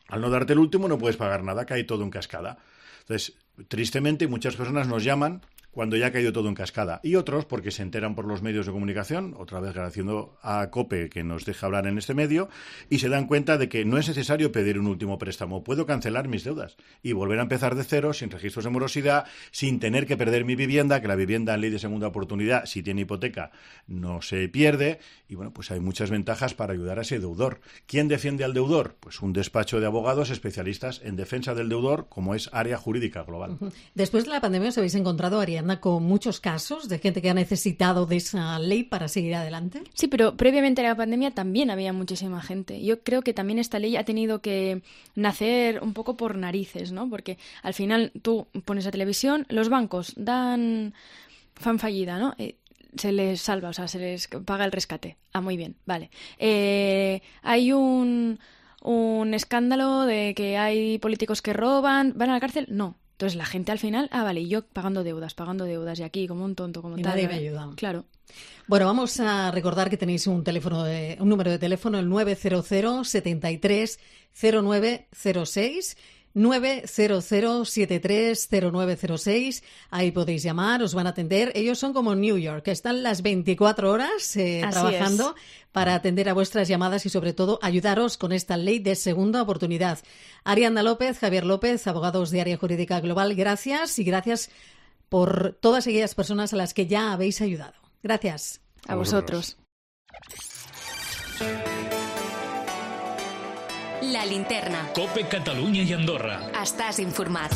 Al no darte el último no puedes pagar nada, cae todo en cascada. Entonces, tristemente, muchas personas nos llaman cuando ya ha caído todo en cascada. Y otros, porque se enteran por los medios de comunicación, otra vez agradeciendo a COPE que nos deja hablar en este medio, y se dan cuenta de que no es necesario pedir un último préstamo. Puedo cancelar mis deudas y volver a empezar de cero, sin registros de morosidad, sin tener que perder mi vivienda, que la vivienda en ley de segunda oportunidad, si tiene hipoteca, no se pierde. Y bueno, pues hay muchas ventajas para ayudar a ese deudor. ¿Quién defiende al deudor? Pues un despacho de abogados especialistas en defensa del deudor, como es Área Jurídica Global. Después de la pandemia os habéis encontrado, Ariadna, con muchos casos de gente que ha necesitado de esa ley para seguir adelante. Sí, pero previamente a la pandemia también había muchísima gente. Yo creo que también esta ley ha tenido que nacer un poco por narices, ¿no? Porque al final tú pones la televisión, los bancos dan fan fallida, ¿no? Se les salva, o sea, se les paga el rescate. Ah, muy bien, vale. Hay un escándalo de que hay políticos que roban, ¿van a la cárcel? No. Entonces la gente al final, vale, y yo pagando deudas, y aquí como un tonto, como y tal. Nadie me ayuda. Claro. Bueno, vamos a recordar que tenéis un número de teléfono, el 900 73 0906. 900730906. Ahí podéis llamar, os van a atender. Ellos son como New York, que están las 24 horas trabajando para atender a vuestras llamadas y, sobre todo, ayudaros con esta ley de segunda oportunidad. Ariadna López, Javier López, abogados de Área Jurídica Global, gracias, y gracias por todas aquellas personas a las que ya habéis ayudado. Gracias. A vosotros. La linterna. Cope Catalunya i Andorra. Estàs informat.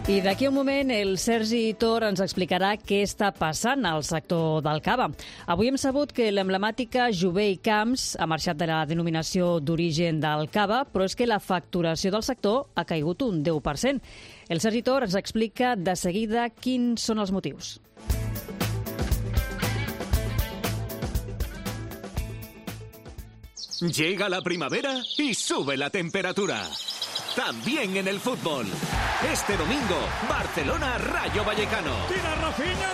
I d'aquí a un moment el Sergi Tor ens explicarà què està passant al sector del cava. Avui hem sabut que l'emblemàtica Jové i Camps ha marxat de la denominació d'origen del cava, però és que la facturació del sector ha caigut un 10%. El Sergi Tor ens explica de seguida quins són els motius. Llega la primavera y sube la temperatura. También en el fútbol. Este domingo, Barcelona-Rayo Vallecano. ¡Tira Rafinha!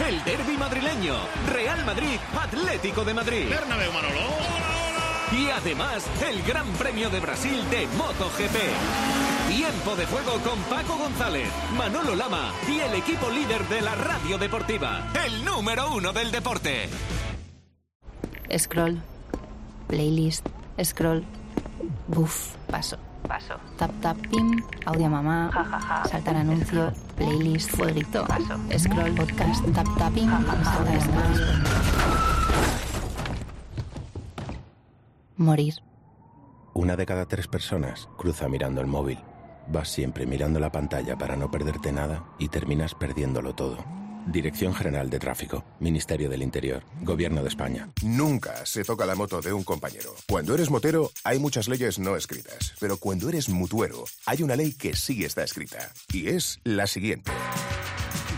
El derbi madrileño, Real Madrid-Atlético de Madrid. Bernabéu, Manolo. Y además, el Gran Premio de Brasil de MotoGP. Tiempo de juego con Paco González, Manolo Lama y el equipo líder de la radio deportiva. El número 1 del deporte. Scroll. Playlist, scroll, buf, paso, tap tap pim, audio mamá, saltar anuncio, playlist, fueguito, scroll, podcast, tap tap pim, saltar anuncio. Morir. 1 de cada 3 personas cruza mirando el móvil. Vas siempre mirando la pantalla para no perderte nada y terminas perdiéndolo todo. Dirección General de Tráfico, Ministerio del Interior, Gobierno de España. Nunca se toca la moto de un compañero. Cuando eres motero, hay muchas leyes no escritas. Pero cuando eres mutuero, hay una ley que sí está escrita. Y es la siguiente.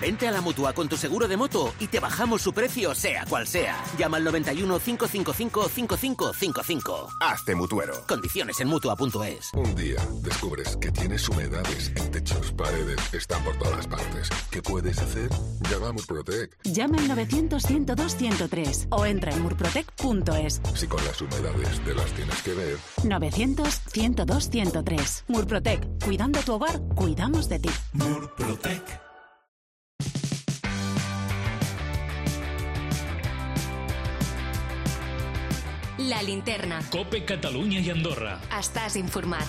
Vente a la Mutua con tu seguro de moto y te bajamos su precio, sea cual sea. Llama al 91 555 5555. Hazte mutuero. Condiciones en Mutua.es. Un día descubres que tienes humedades en techos, paredes, están por todas partes. ¿Qué puedes hacer? Llama a Murprotec. Llama al 900-102-103 o entra en murprotec.es. Si con las humedades te las tienes que ver. 900-102-103. Murprotec. Cuidando tu hogar, cuidamos de ti. Murprotec. La linterna. Cope Catalunya i Andorra. Estàs informat.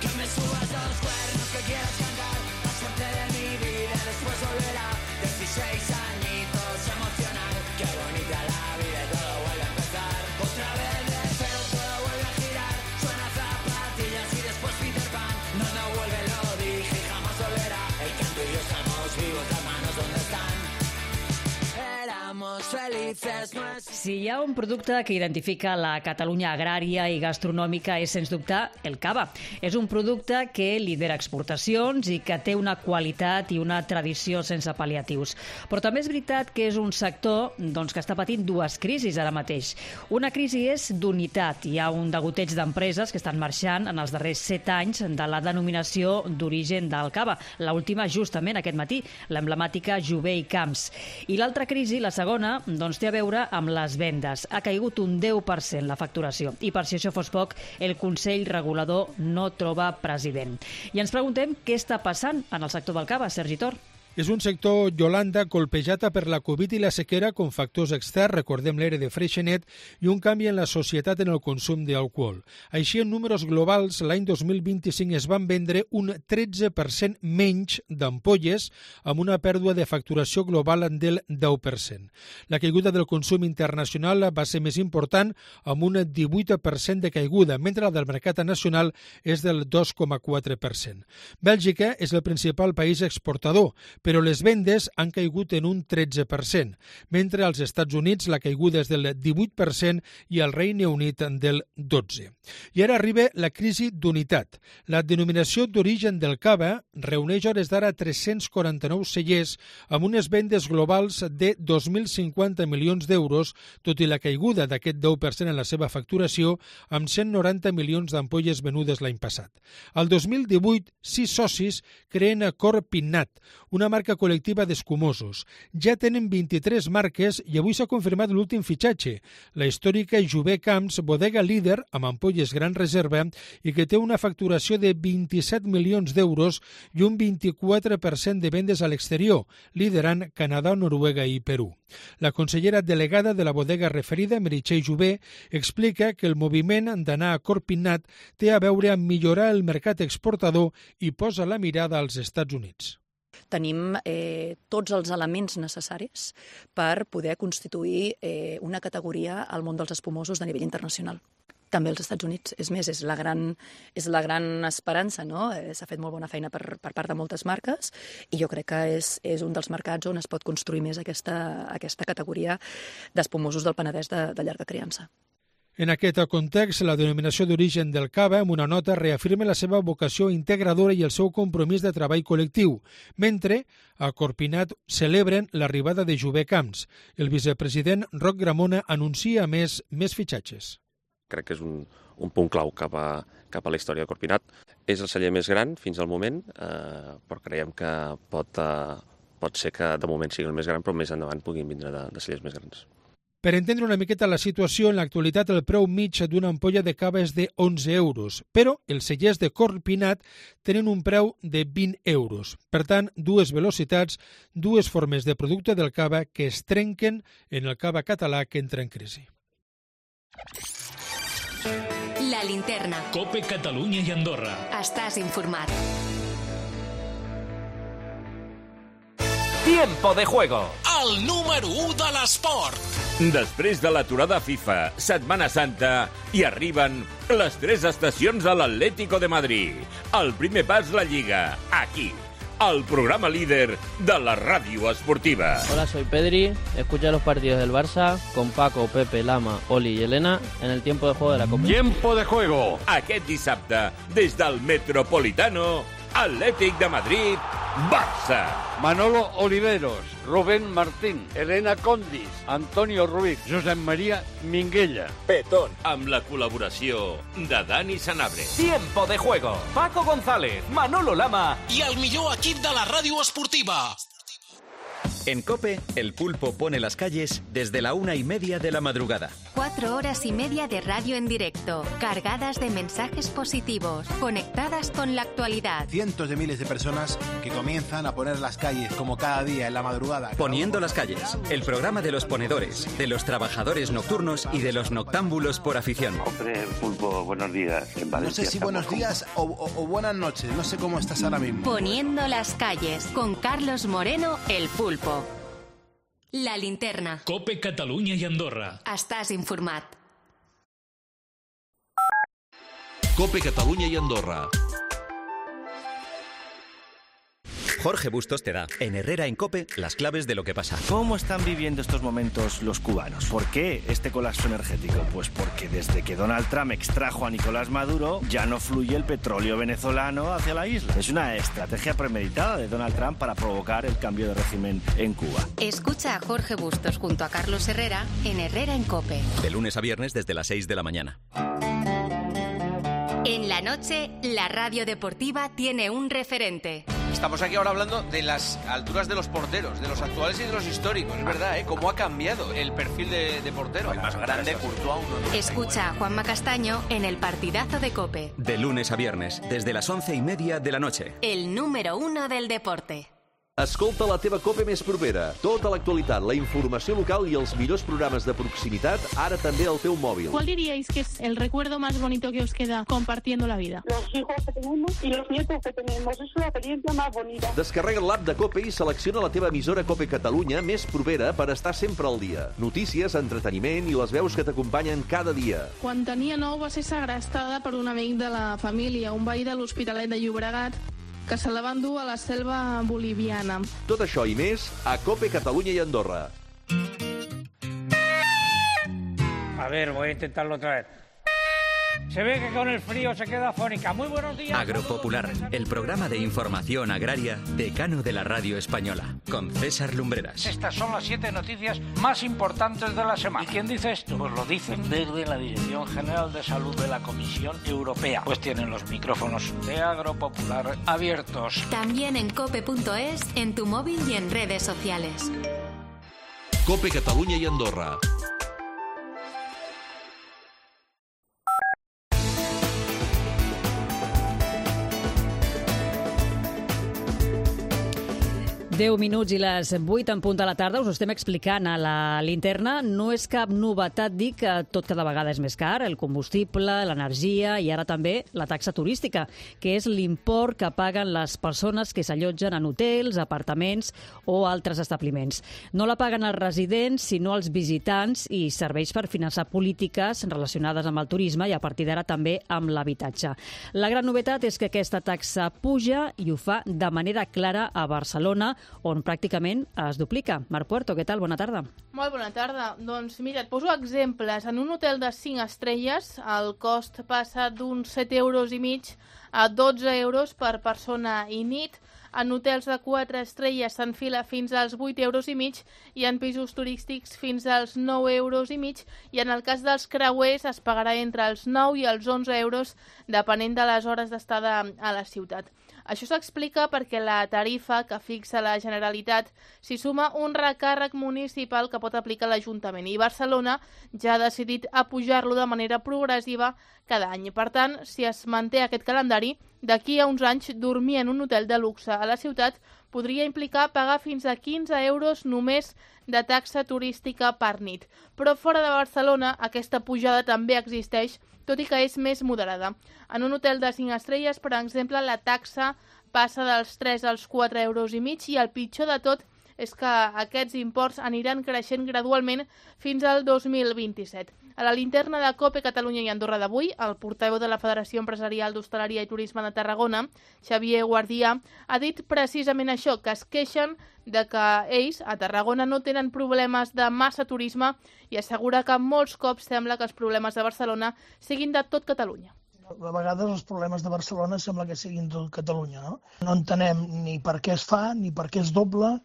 Que me subas a los cuernos, que quieras cantar la suerte de mi vida, después volverá 16 añitos emocionar. Qué bonita la vida y todo vuelve a empezar. Otra vez de cero todo vuelve a girar. Suena zapatillas y después Peter Pan. No vuelve, lo dije, jamás volverá. El canto y yo estamos vivos, las manos donde están. Éramos felices, no es... Si hi ha un producte que identifica la Catalunya agrària i gastronòmica és, sens dubte, el cava. És un producte que lidera exportacions i que té una qualitat i una tradició sense pal·liatius. Però també és veritat que és un sector que està patint 2 crisis ara mateix. Una crisi és d'unitat. Hi ha un degoteig d'empreses que estan marxant en els darrers 7 anys de la denominació d'origen del cava. L'última, justament, aquest matí, l'emblemàtica Jové i Camps. I l'altra crisi, la segona, té a veure amb les vendes. Ha caigut un 10% la facturació. I per si això fos poc, el Consell Regulador no troba president. I ens preguntem què està passant en el sector del cava, Sergi Tor. És un sector, Yolanda, colpejat per la Covid i la sequera com factors externs, recordem l'ERE de Freixenet, i un canvi en la societat en el consum d'alcohol. Així, en números globals, l'any 2025 es van vendre un 13% menys d'ampolles, amb una pèrdua de facturació global del 10%. La caiguda del consum internacional va ser més important, amb un 18% de caiguda, mentre la del mercat nacional és del 2,4%. Bèlgica és el principal país exportador, però les vendes han caigut en un 13%, mentre als Estats Units la caiguda és del 18% i al Regne Unit del 12%. I ara arriba la crisi d'unitat. La denominació d'origen del cava reuneix a hores d'ara 349 cellers amb unes vendes globals de 2.050 milions d'euros, tot i la caiguda d'aquest 10% en la seva facturació, amb 190 milions d'ampolles venudes l'any passat. Al 2018, 6 socis creen Corpinnat, una marca col·lectiva d'escumosos. Ja tenen 23 marques i avui s'ha confirmat l'últim fitxatge, la històrica Jové Camps, bodega líder amb ampolles gran reserva i que té una facturació de 27 milions d'euros i un 24% de vendes a l'exterior, liderant Canadà, Noruega i Perú. La consellera delegada de la bodega referida, Meritxell Jové, explica que el moviment d'anar a Corpinnat té a veure amb millorar el mercat exportador i posa la mirada als Estats Units. Tenim tots els elements necessaris per poder constituir una categoria al món dels espumosos de nivell internacional. També als Estats Units. És més, és la gran esperança, no? S'ha fet molt bona feina per part de moltes marques i jo crec que és un dels mercats on es pot construir més aquesta categoria d'espumosos del Penedès de llarga criança. En aquest context, la denominació d'origen del cava, amb una nota, reafirma la seva vocació integradora i el seu compromís de treball col·lectiu, mentre a Corpinnat celebren l'arribada de Jové Camps. El vicepresident Roc Gramona anuncia més fitxatges. Crec que és un punt clau cap a la història de Corpinnat. És el celler més gran fins al moment, però creiem que pot ser que de moment sigui el més gran, però més endavant puguin vindre de cellers més grans. Per entendre una miqueta la situació, en l'actualitat el preu mig d'una ampolla de cava és de 11 euros, però els cellers de Corpinnat tenen un preu de 20 euros. Per tant, dues velocitats, dues formes de producte del cava que es trenquen en el cava català que entra en crisi. La linterna. COPE Catalunya i Andorra. Estàs informat. Tiempo de juego. El número 1 de l'esport. Després de l'aturada FIFA, Setmana Santa, i arriben les 3 estacions de l'Atlético de Madrid. El primer pas la Lliga, aquí, al programa líder de la ràdio esportiva. Hola, soy Pedri. Escucha los partidos del Barça con Paco, Pepe, Lama, Oli y Elena en el tiempo de juego de la Copa. Tiempo de juego. Aquest dissabte, des del Metropolitano, Atlètic de Madrid, Barça. Manolo Oliveros, Rubén Martín, Elena Condis, Antonio Ruiz, Josep María Minguella. Petón. Amb la col·laboració de Dani Sanabria. Tiempo de juego. Paco González, Manolo Lama i el millor equip de la ràdio esportiva. En COPE, el pulpo pone las calles desde la 1:30 de la madrugada. 4 horas y media de radio en directo, cargadas de mensajes positivos, conectadas con la actualidad. Cientos de miles de personas que comienzan a poner las calles como cada día en la madrugada. Poniendo las calles, el programa de los ponedores, de los trabajadores nocturnos y de los noctámbulos por afición. Hombre, pulpo, buenos días. En Valencia, no sé si buenos días o buenas noches, no sé cómo estás ahora mismo. Poniendo las calles, con Carlos Moreno, el pulpo. La linterna. COPE Catalunya i Andorra. Estàs informat. COPE Catalunya i Andorra. Jorge Bustos te da, en Herrera en COPE, las claves de lo que pasa. ¿Cómo están viviendo estos momentos los cubanos? ¿Por qué este colapso energético? Pues porque desde que Donald Trump extrajo a Nicolás Maduro, ya no fluye el petróleo venezolano hacia la isla. Es una estrategia premeditada de Donald Trump para provocar el cambio de régimen en Cuba. Escucha a Jorge Bustos junto a Carlos Herrera en Herrera en COPE. De lunes a viernes desde las 6 de la mañana. En la noche, la radio deportiva tiene un referente. Estamos aquí ahora hablando de las alturas de los porteros, de los actuales y de los históricos. Es verdad, cómo ha cambiado el perfil de portero. El más grande, Courtois. Escucha a Juanma Castaño en el partidazo de COPE. De lunes a viernes, desde las 11:30 de la noche. El número 1 del deporte. Escolta la teva COPE més propera. Tota l'actualitat, la informació local i els millors programes de proximitat, ara també al teu mòbil. ¿Cuál diríais que es el recuerdo más bonito que os queda compartiendo la vida? Los hijos que tenemos y los nietos que tenemos. Es la experiencia más bonita. Descarrega l'app de COPE i selecciona la teva emissora COPE Catalunya més propera per estar sempre al dia. Notícies, entreteniment i les veus que t'acompanyen cada dia. Quan tenia 9 va ser segrestada per un amic de la família, un veí de l'Hospitalet de Llobregat. que se la van dur a la selva boliviana. Tot això i més a COPE Catalunya i Andorra. A ver, voy a intentarlo otra vez. Se ve que con el frío se queda afónica. Muy buenos días. Agropopular, el programa de información agraria decano de la radio española, con César Lumbreras. Estas son las 7 noticias más importantes de la semana. ¿Y quién dice esto? Pues lo dicen desde la Dirección General de Salud de la Comisión Europea. Pues tienen los micrófonos de Agropopular abiertos. También en cope.es, en tu móvil y en redes sociales. COPE Catalunya i Andorra. Deu minuts i les 8 en punt de la tarda. Us ho estem explicant a la linterna. No és cap novetat dir que tot cada vegada és més car, el combustible, l'energia i ara també la taxa turística, que és l'import que paguen les persones que s'allotgen en hotels, apartaments o altres establiments. No la paguen els residents, sinó els visitants i serveix per finançar polítiques relacionades amb el turisme i a partir d'ara també amb l'habitatge. La gran novetat és que aquesta taxa puja i ho fa de manera clara a Barcelona, on pràcticament es duplica. Marc Puerto, què tal? Bona tarda. Molt bona tarda. Doncs mira, et poso exemples. En un hotel de 5 estrelles el cost passa d'uns 7,5 € a 12 € per persona i nit. En hotels de 4 estrelles s'enfila fins als 8,5 € i en pisos turístics fins als 9,5 € i en el cas dels creuers es pagarà entre els 9 i els 11 € depenent de les hores d'estada a la ciutat. Això s'explica perquè la tarifa que fixa la Generalitat s'hi suma un recàrrec municipal que pot aplicar l'Ajuntament i Barcelona ja ha decidit apujar-lo de manera progressiva cada any. Per tant, si es manté aquest calendari, d'aquí a uns anys dormir en un hotel de luxe a la ciutat podria implicar pagar fins a 15 € només de taxa turística per nit. Però fora de Barcelona aquesta pujada també existeix, tot i que és més moderada. En un hotel de 5 estrelles, per exemple, la taxa passa dels 3 als 4,5 € i el pitjor de tot és que aquests imports aniran creixent gradualment fins al 2027. A la linterna de COPE Catalunya i Andorra d'avui, el portaveu de la Federació Empresarial d'Hostaleria i Turisme de Tarragona, Xavier Guardià, ha dit precisament això, que es queixen de que ells, a Tarragona, no tenen problemes de massa turisme i assegura que molts cops sembla que els problemes de Barcelona siguin de tot Catalunya. A vegades els problemes de Barcelona sembla que siguin tot Catalunya, no? No entenem ni per què es fa, ni per què es doble.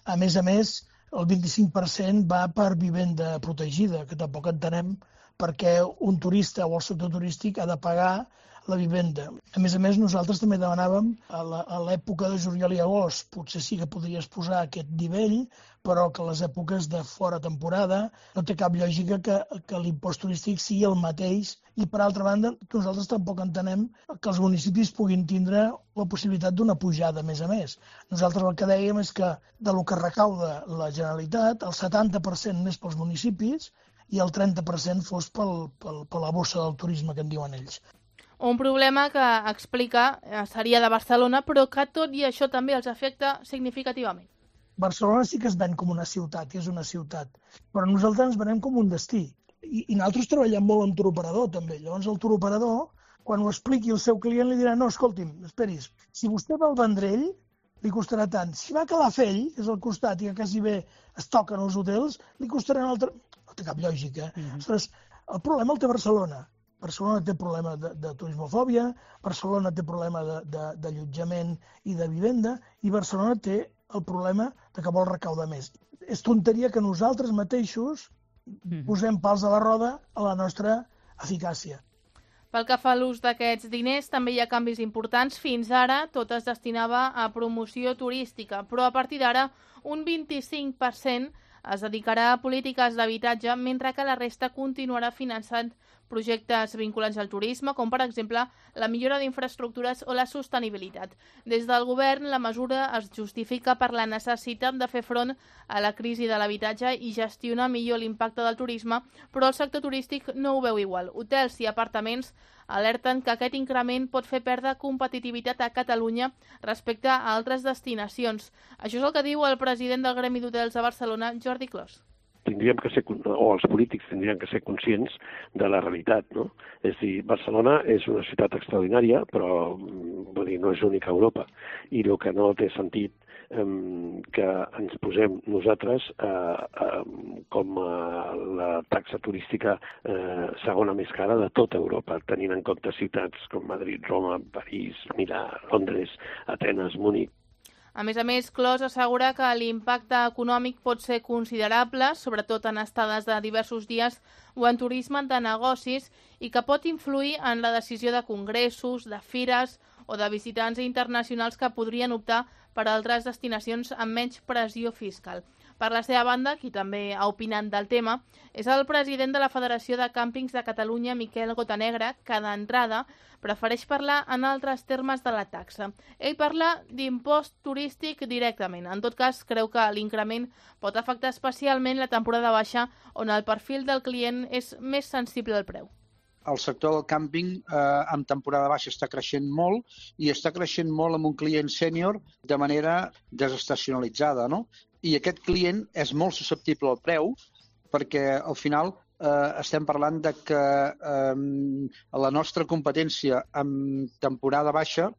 A més, el 25% va per vivenda protegida, que tampoc entenem per què un turista o el sector turístic ha de pagar la vivenda. A més, nosaltres també demanàvem a l'època de juliol i agost, potser sí que podries posar aquest nivell, però que les èpoques de fora temporada no té cap lògica que l'impost turístic sigui el mateix. I, per altra banda, nosaltres tampoc entenem que els municipis puguin tindre la possibilitat d'una pujada, a més. Nosaltres el que dèiem és que de lo que recauda la Generalitat, el 70% més pels municipis i el 30% fos per la bossa del turisme, que en diuen ells. Un problema que explica seria de Barcelona, però que tot i això també els afecta significativament. Barcelona sí que es ven com una ciutat, i és una ciutat, però nosaltres ens venem com un destí. I nosaltres treballem molt amb turoperador, també. Llavors el turoperador, quan ho expliqui al seu client, li dirà: no, escolti'm, esperis, si vostè va al Vendrell, li costarà tant. Si va a Calafell, que és al costat i que quasi bé es toquen els hotels, li costarà un altre... No té cap lògica. Ostres, el problema el té Barcelona. Barcelona té problema de turismofòbia, Barcelona té problema d'allotjament i de vivenda, i Barcelona té el problema de que vol recaudar més. És tonteria que nosaltres mateixos posem pals a la roda a la nostra eficàcia. Pel que fa a l'ús d'aquests diners, també hi ha canvis importants. Fins ara tot es destinava a promoció turística, però a partir d'ara un 25% es dedicarà a polítiques d'habitatge, mentre que la resta continuarà finançant projectes vinculats al turisme, com per exemple la millora d'infraestructures o la sostenibilitat. Des del govern, la mesura es justifica per la necessitat de fer front a la crisi de l'habitatge i gestionar millor l'impacte del turisme, però el sector turístic no ho veu igual. Hotels i apartaments alerten que aquest increment pot fer perdre competitivitat a Catalunya respecte a altres destinacions. Això és el que diu el president del Gremi d'Hotels de Barcelona, Jordi Clos. tindríem que ser, o els polítics tindrien que ser conscients de la realitat, no? És a dir, Barcelona és una ciutat extraordinària, però vull dir, no és única a Europa. I el que no té sentit que ens posem nosaltres com la taxa turística segona més cara de tota Europa, tenint en compte ciutats com Madrid, Roma, París, Milà, Londres, Atenes, Múnich. A més, Clos assegura que l'impacte econòmic pot ser considerable, sobretot en estades de diversos dies o en turisme de negocis, i que pot influir en la decisió de congressos, de fires o de visitants internacionals que podrien optar per altres destinacions amb menys pressió fiscal. Per la seva banda, qui també ha opinat del tema, és el president de la Federació de Càmpings de Catalunya, Miquel Gotanegra, que d'entrada prefereix parlar en altres termes de la taxa. Ell parla d'impost turístic directament. En tot cas, creu que l'increment pot afectar especialment la temporada baixa, on el perfil del client és més sensible al preu. El sector del càmping en temporada baixa està creixent molt i està creixent molt amb un client sènior de manera desestacionalitzada, no? I aquest client és molt susceptible al preu perquè al final estem parlant de que la nostra competència en temporada baixa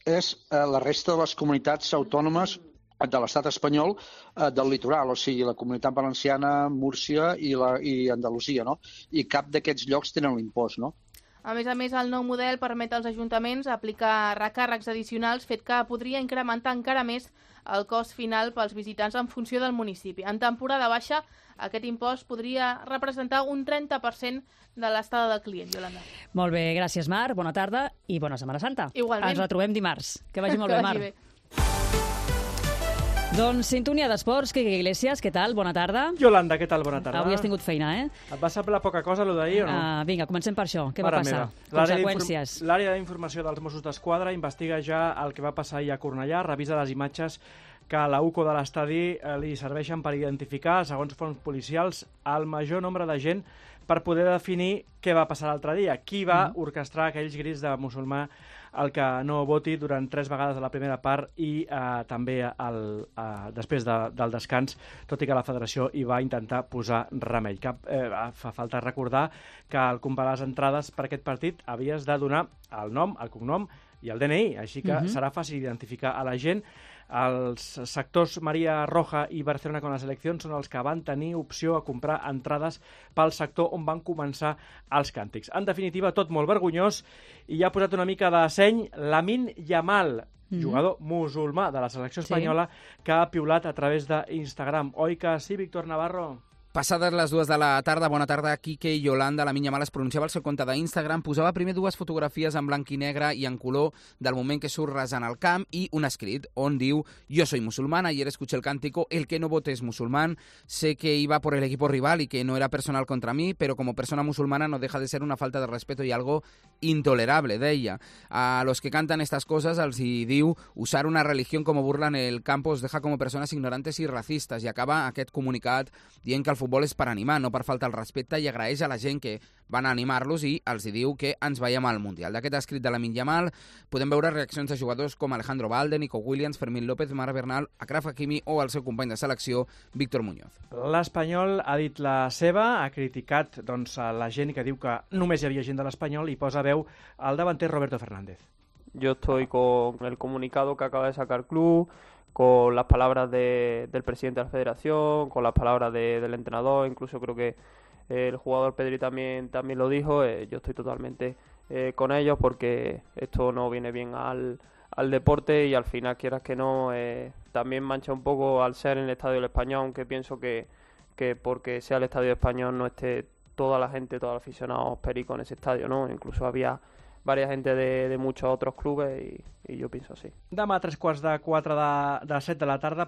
és la resta de les comunitats autònomes de l'estat espanyol del litoral, o sigui, la Comunitat Valenciana, Múrcia i Andalusia, no? I cap d'aquests llocs tenen l'impost, no? A més, el nou model permet als ajuntaments aplicar recàrrecs addicionals, fet que podria incrementar encara més el cost final pels visitants en funció del municipi. En temporada baixa, aquest impost podria representar un 30% de l'estada del client, Yolanda. Molt bé, gràcies, Mar. Bona tarda i bona Setmana Santa. Igualment. Ens retrobem dimarts. Que vagi molt bé, Mar. Doncs sintonia d'esports, Quique Iglesias, què tal? Bona tarda. Yolanda, què tal? Bona tarda. Avui has tingut feina, eh? Et va semblar poca cosa, allò d'ahir, o no? Vinga, comencem per això. Què va passar? Conseqüències. L'àrea d'informació dels Mossos d'Esquadra investiga ja el que va passar ahir a Cornellà, revisa les imatges que a la UCO de l'estadi li serveixen per identificar, segons fonts policials, el major nombre de gent per poder definir què va passar l'altre dia, qui va orquestrar aquells grits de musulmà el que no voti durant 3 vegades a la primera part i també després del descans, tot i que la federació hi va intentar posar remei. Fa falta recordar que al comprar les entrades per aquest partit havies de donar el nom, el cognom i el DNI, així que serà fàcil identificar a la gent. Els sectors Maria Roja i Barcelona con la selecció són els que van tenir opció a comprar entrades pel sector on van començar els càntics. En definitiva, tot molt vergonyós, i ja ha posat una mica de seny Lamine Yamal, jugador musulmà de la selecció espanyola, que ha piulat a través d'Instagram. Oi que sí, Víctor Navarro? Passades les 2 de la tarda, bona tarda, Quique i Yolanda. Lamine Yamal es pronunciava al seu compte d'Instagram, posava primer 2 fotografies en blanc i negre i en color del moment que surt rasant al camp i un escrit on diu: yo soy musulmán, ayer escuché el cántico, el que no vote es musulmán, sé que iba por el equipo rival y que no era personal contra mí, pero como persona musulmana no deja de ser una falta de respeto y algo intolerable, deia. A los que cantan estas cosas els hi diu: usar una religión como burla en el campo os deja como personas ignorantes y racistas, i acaba aquest comunicat dient que el futbol és per animar, no per faltar el respecte, i agraeix a la gent que van a animar-los i els diu que ens veiem al Mundial. D'aquest escrit de Lamine Yamal podem veure reaccions de jugadors com Alejandro Valde, Nico Williams, Fermín López, Marc Bernal, Achraf Hakimi o el seu company de selecció, Víctor Muñoz. L'Espanyol ha dit la seva, ha criticat a la gent que diu que només hi havia gent de l'Espanyol i posa veu al davanter Roberto Fernández. Yo estoy con el comunicado que acaba de sacar el club, con las palabras del presidente de la federación, con las palabras del entrenador, incluso creo que el jugador Pedri también lo dijo. Yo estoy totalmente con ellos porque esto no viene bien al deporte y al final, quieras que no, también mancha un poco al ser en el Estadio del Español, aunque pienso que porque sea el Estadio del Español no esté toda la gente, todos los aficionados pericos en ese estadio, ¿no? Incluso había varia gente de muchos otros clubes i jo penso així. Demà a 3:45 de 7 de la tarda,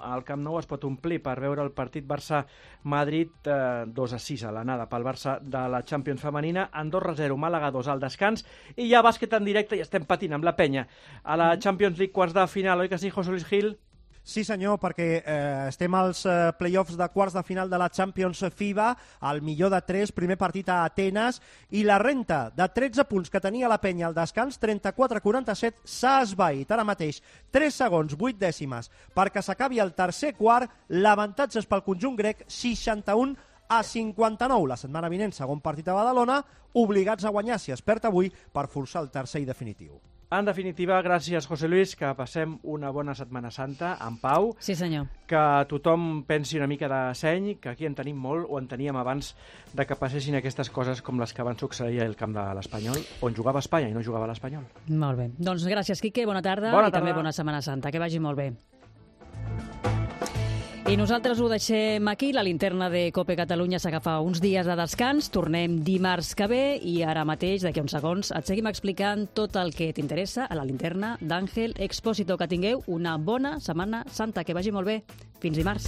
al Camp Nou es pot omplir per veure el partit Barça-Madrid 2-6 a l'anada pel Barça de la Champions femenina, Andorra 0, Màlaga 2 al descans, i ja bàsquet en directe i estem patint amb la penya. A la Champions League quarts de final, oi que sí, José Luis Gil? Sí senyor, perquè estem als play-offs de quarts de final de la Champions FIBA, el millor de 3, primer partit a Atenes, i la renta de 13 punts que tenia la penya al descans, 34-47, s'ha esvaït. Ara mateix 3 segons, 8 dècimes, perquè s'acabi el tercer quart, l'avantatge és pel conjunt grec, 61-59. La setmana vinent, segon partit a Badalona, obligats a guanyar si es perd avui per forçar el tercer i definitiu. En definitiva, gràcies, José Luis, que passem una bona Setmana Santa en pau. Sí, senyor. Que tothom pensi una mica de seny, que aquí en tenim molt, o en teníem abans de que passessin aquestes coses com les que van succeir al camp de l'Espanyol, on jugava Espanya i no jugava l'Espanyol. Molt bé. Doncs gràcies, Quique, bona tarda, bona i també bona Setmana Santa. Que vagi molt bé. I nosaltres ho deixem aquí. La linterna de COPE Catalunya s'agafa uns dies de descans. Tornem dimarts que ve i ara mateix, d'aquí uns segons, et seguim explicant tot el que t'interessa a la linterna d'Àngel Expósito. Que tingueu una bona Setmana Santa. Que vagi molt bé. Fins dimarts.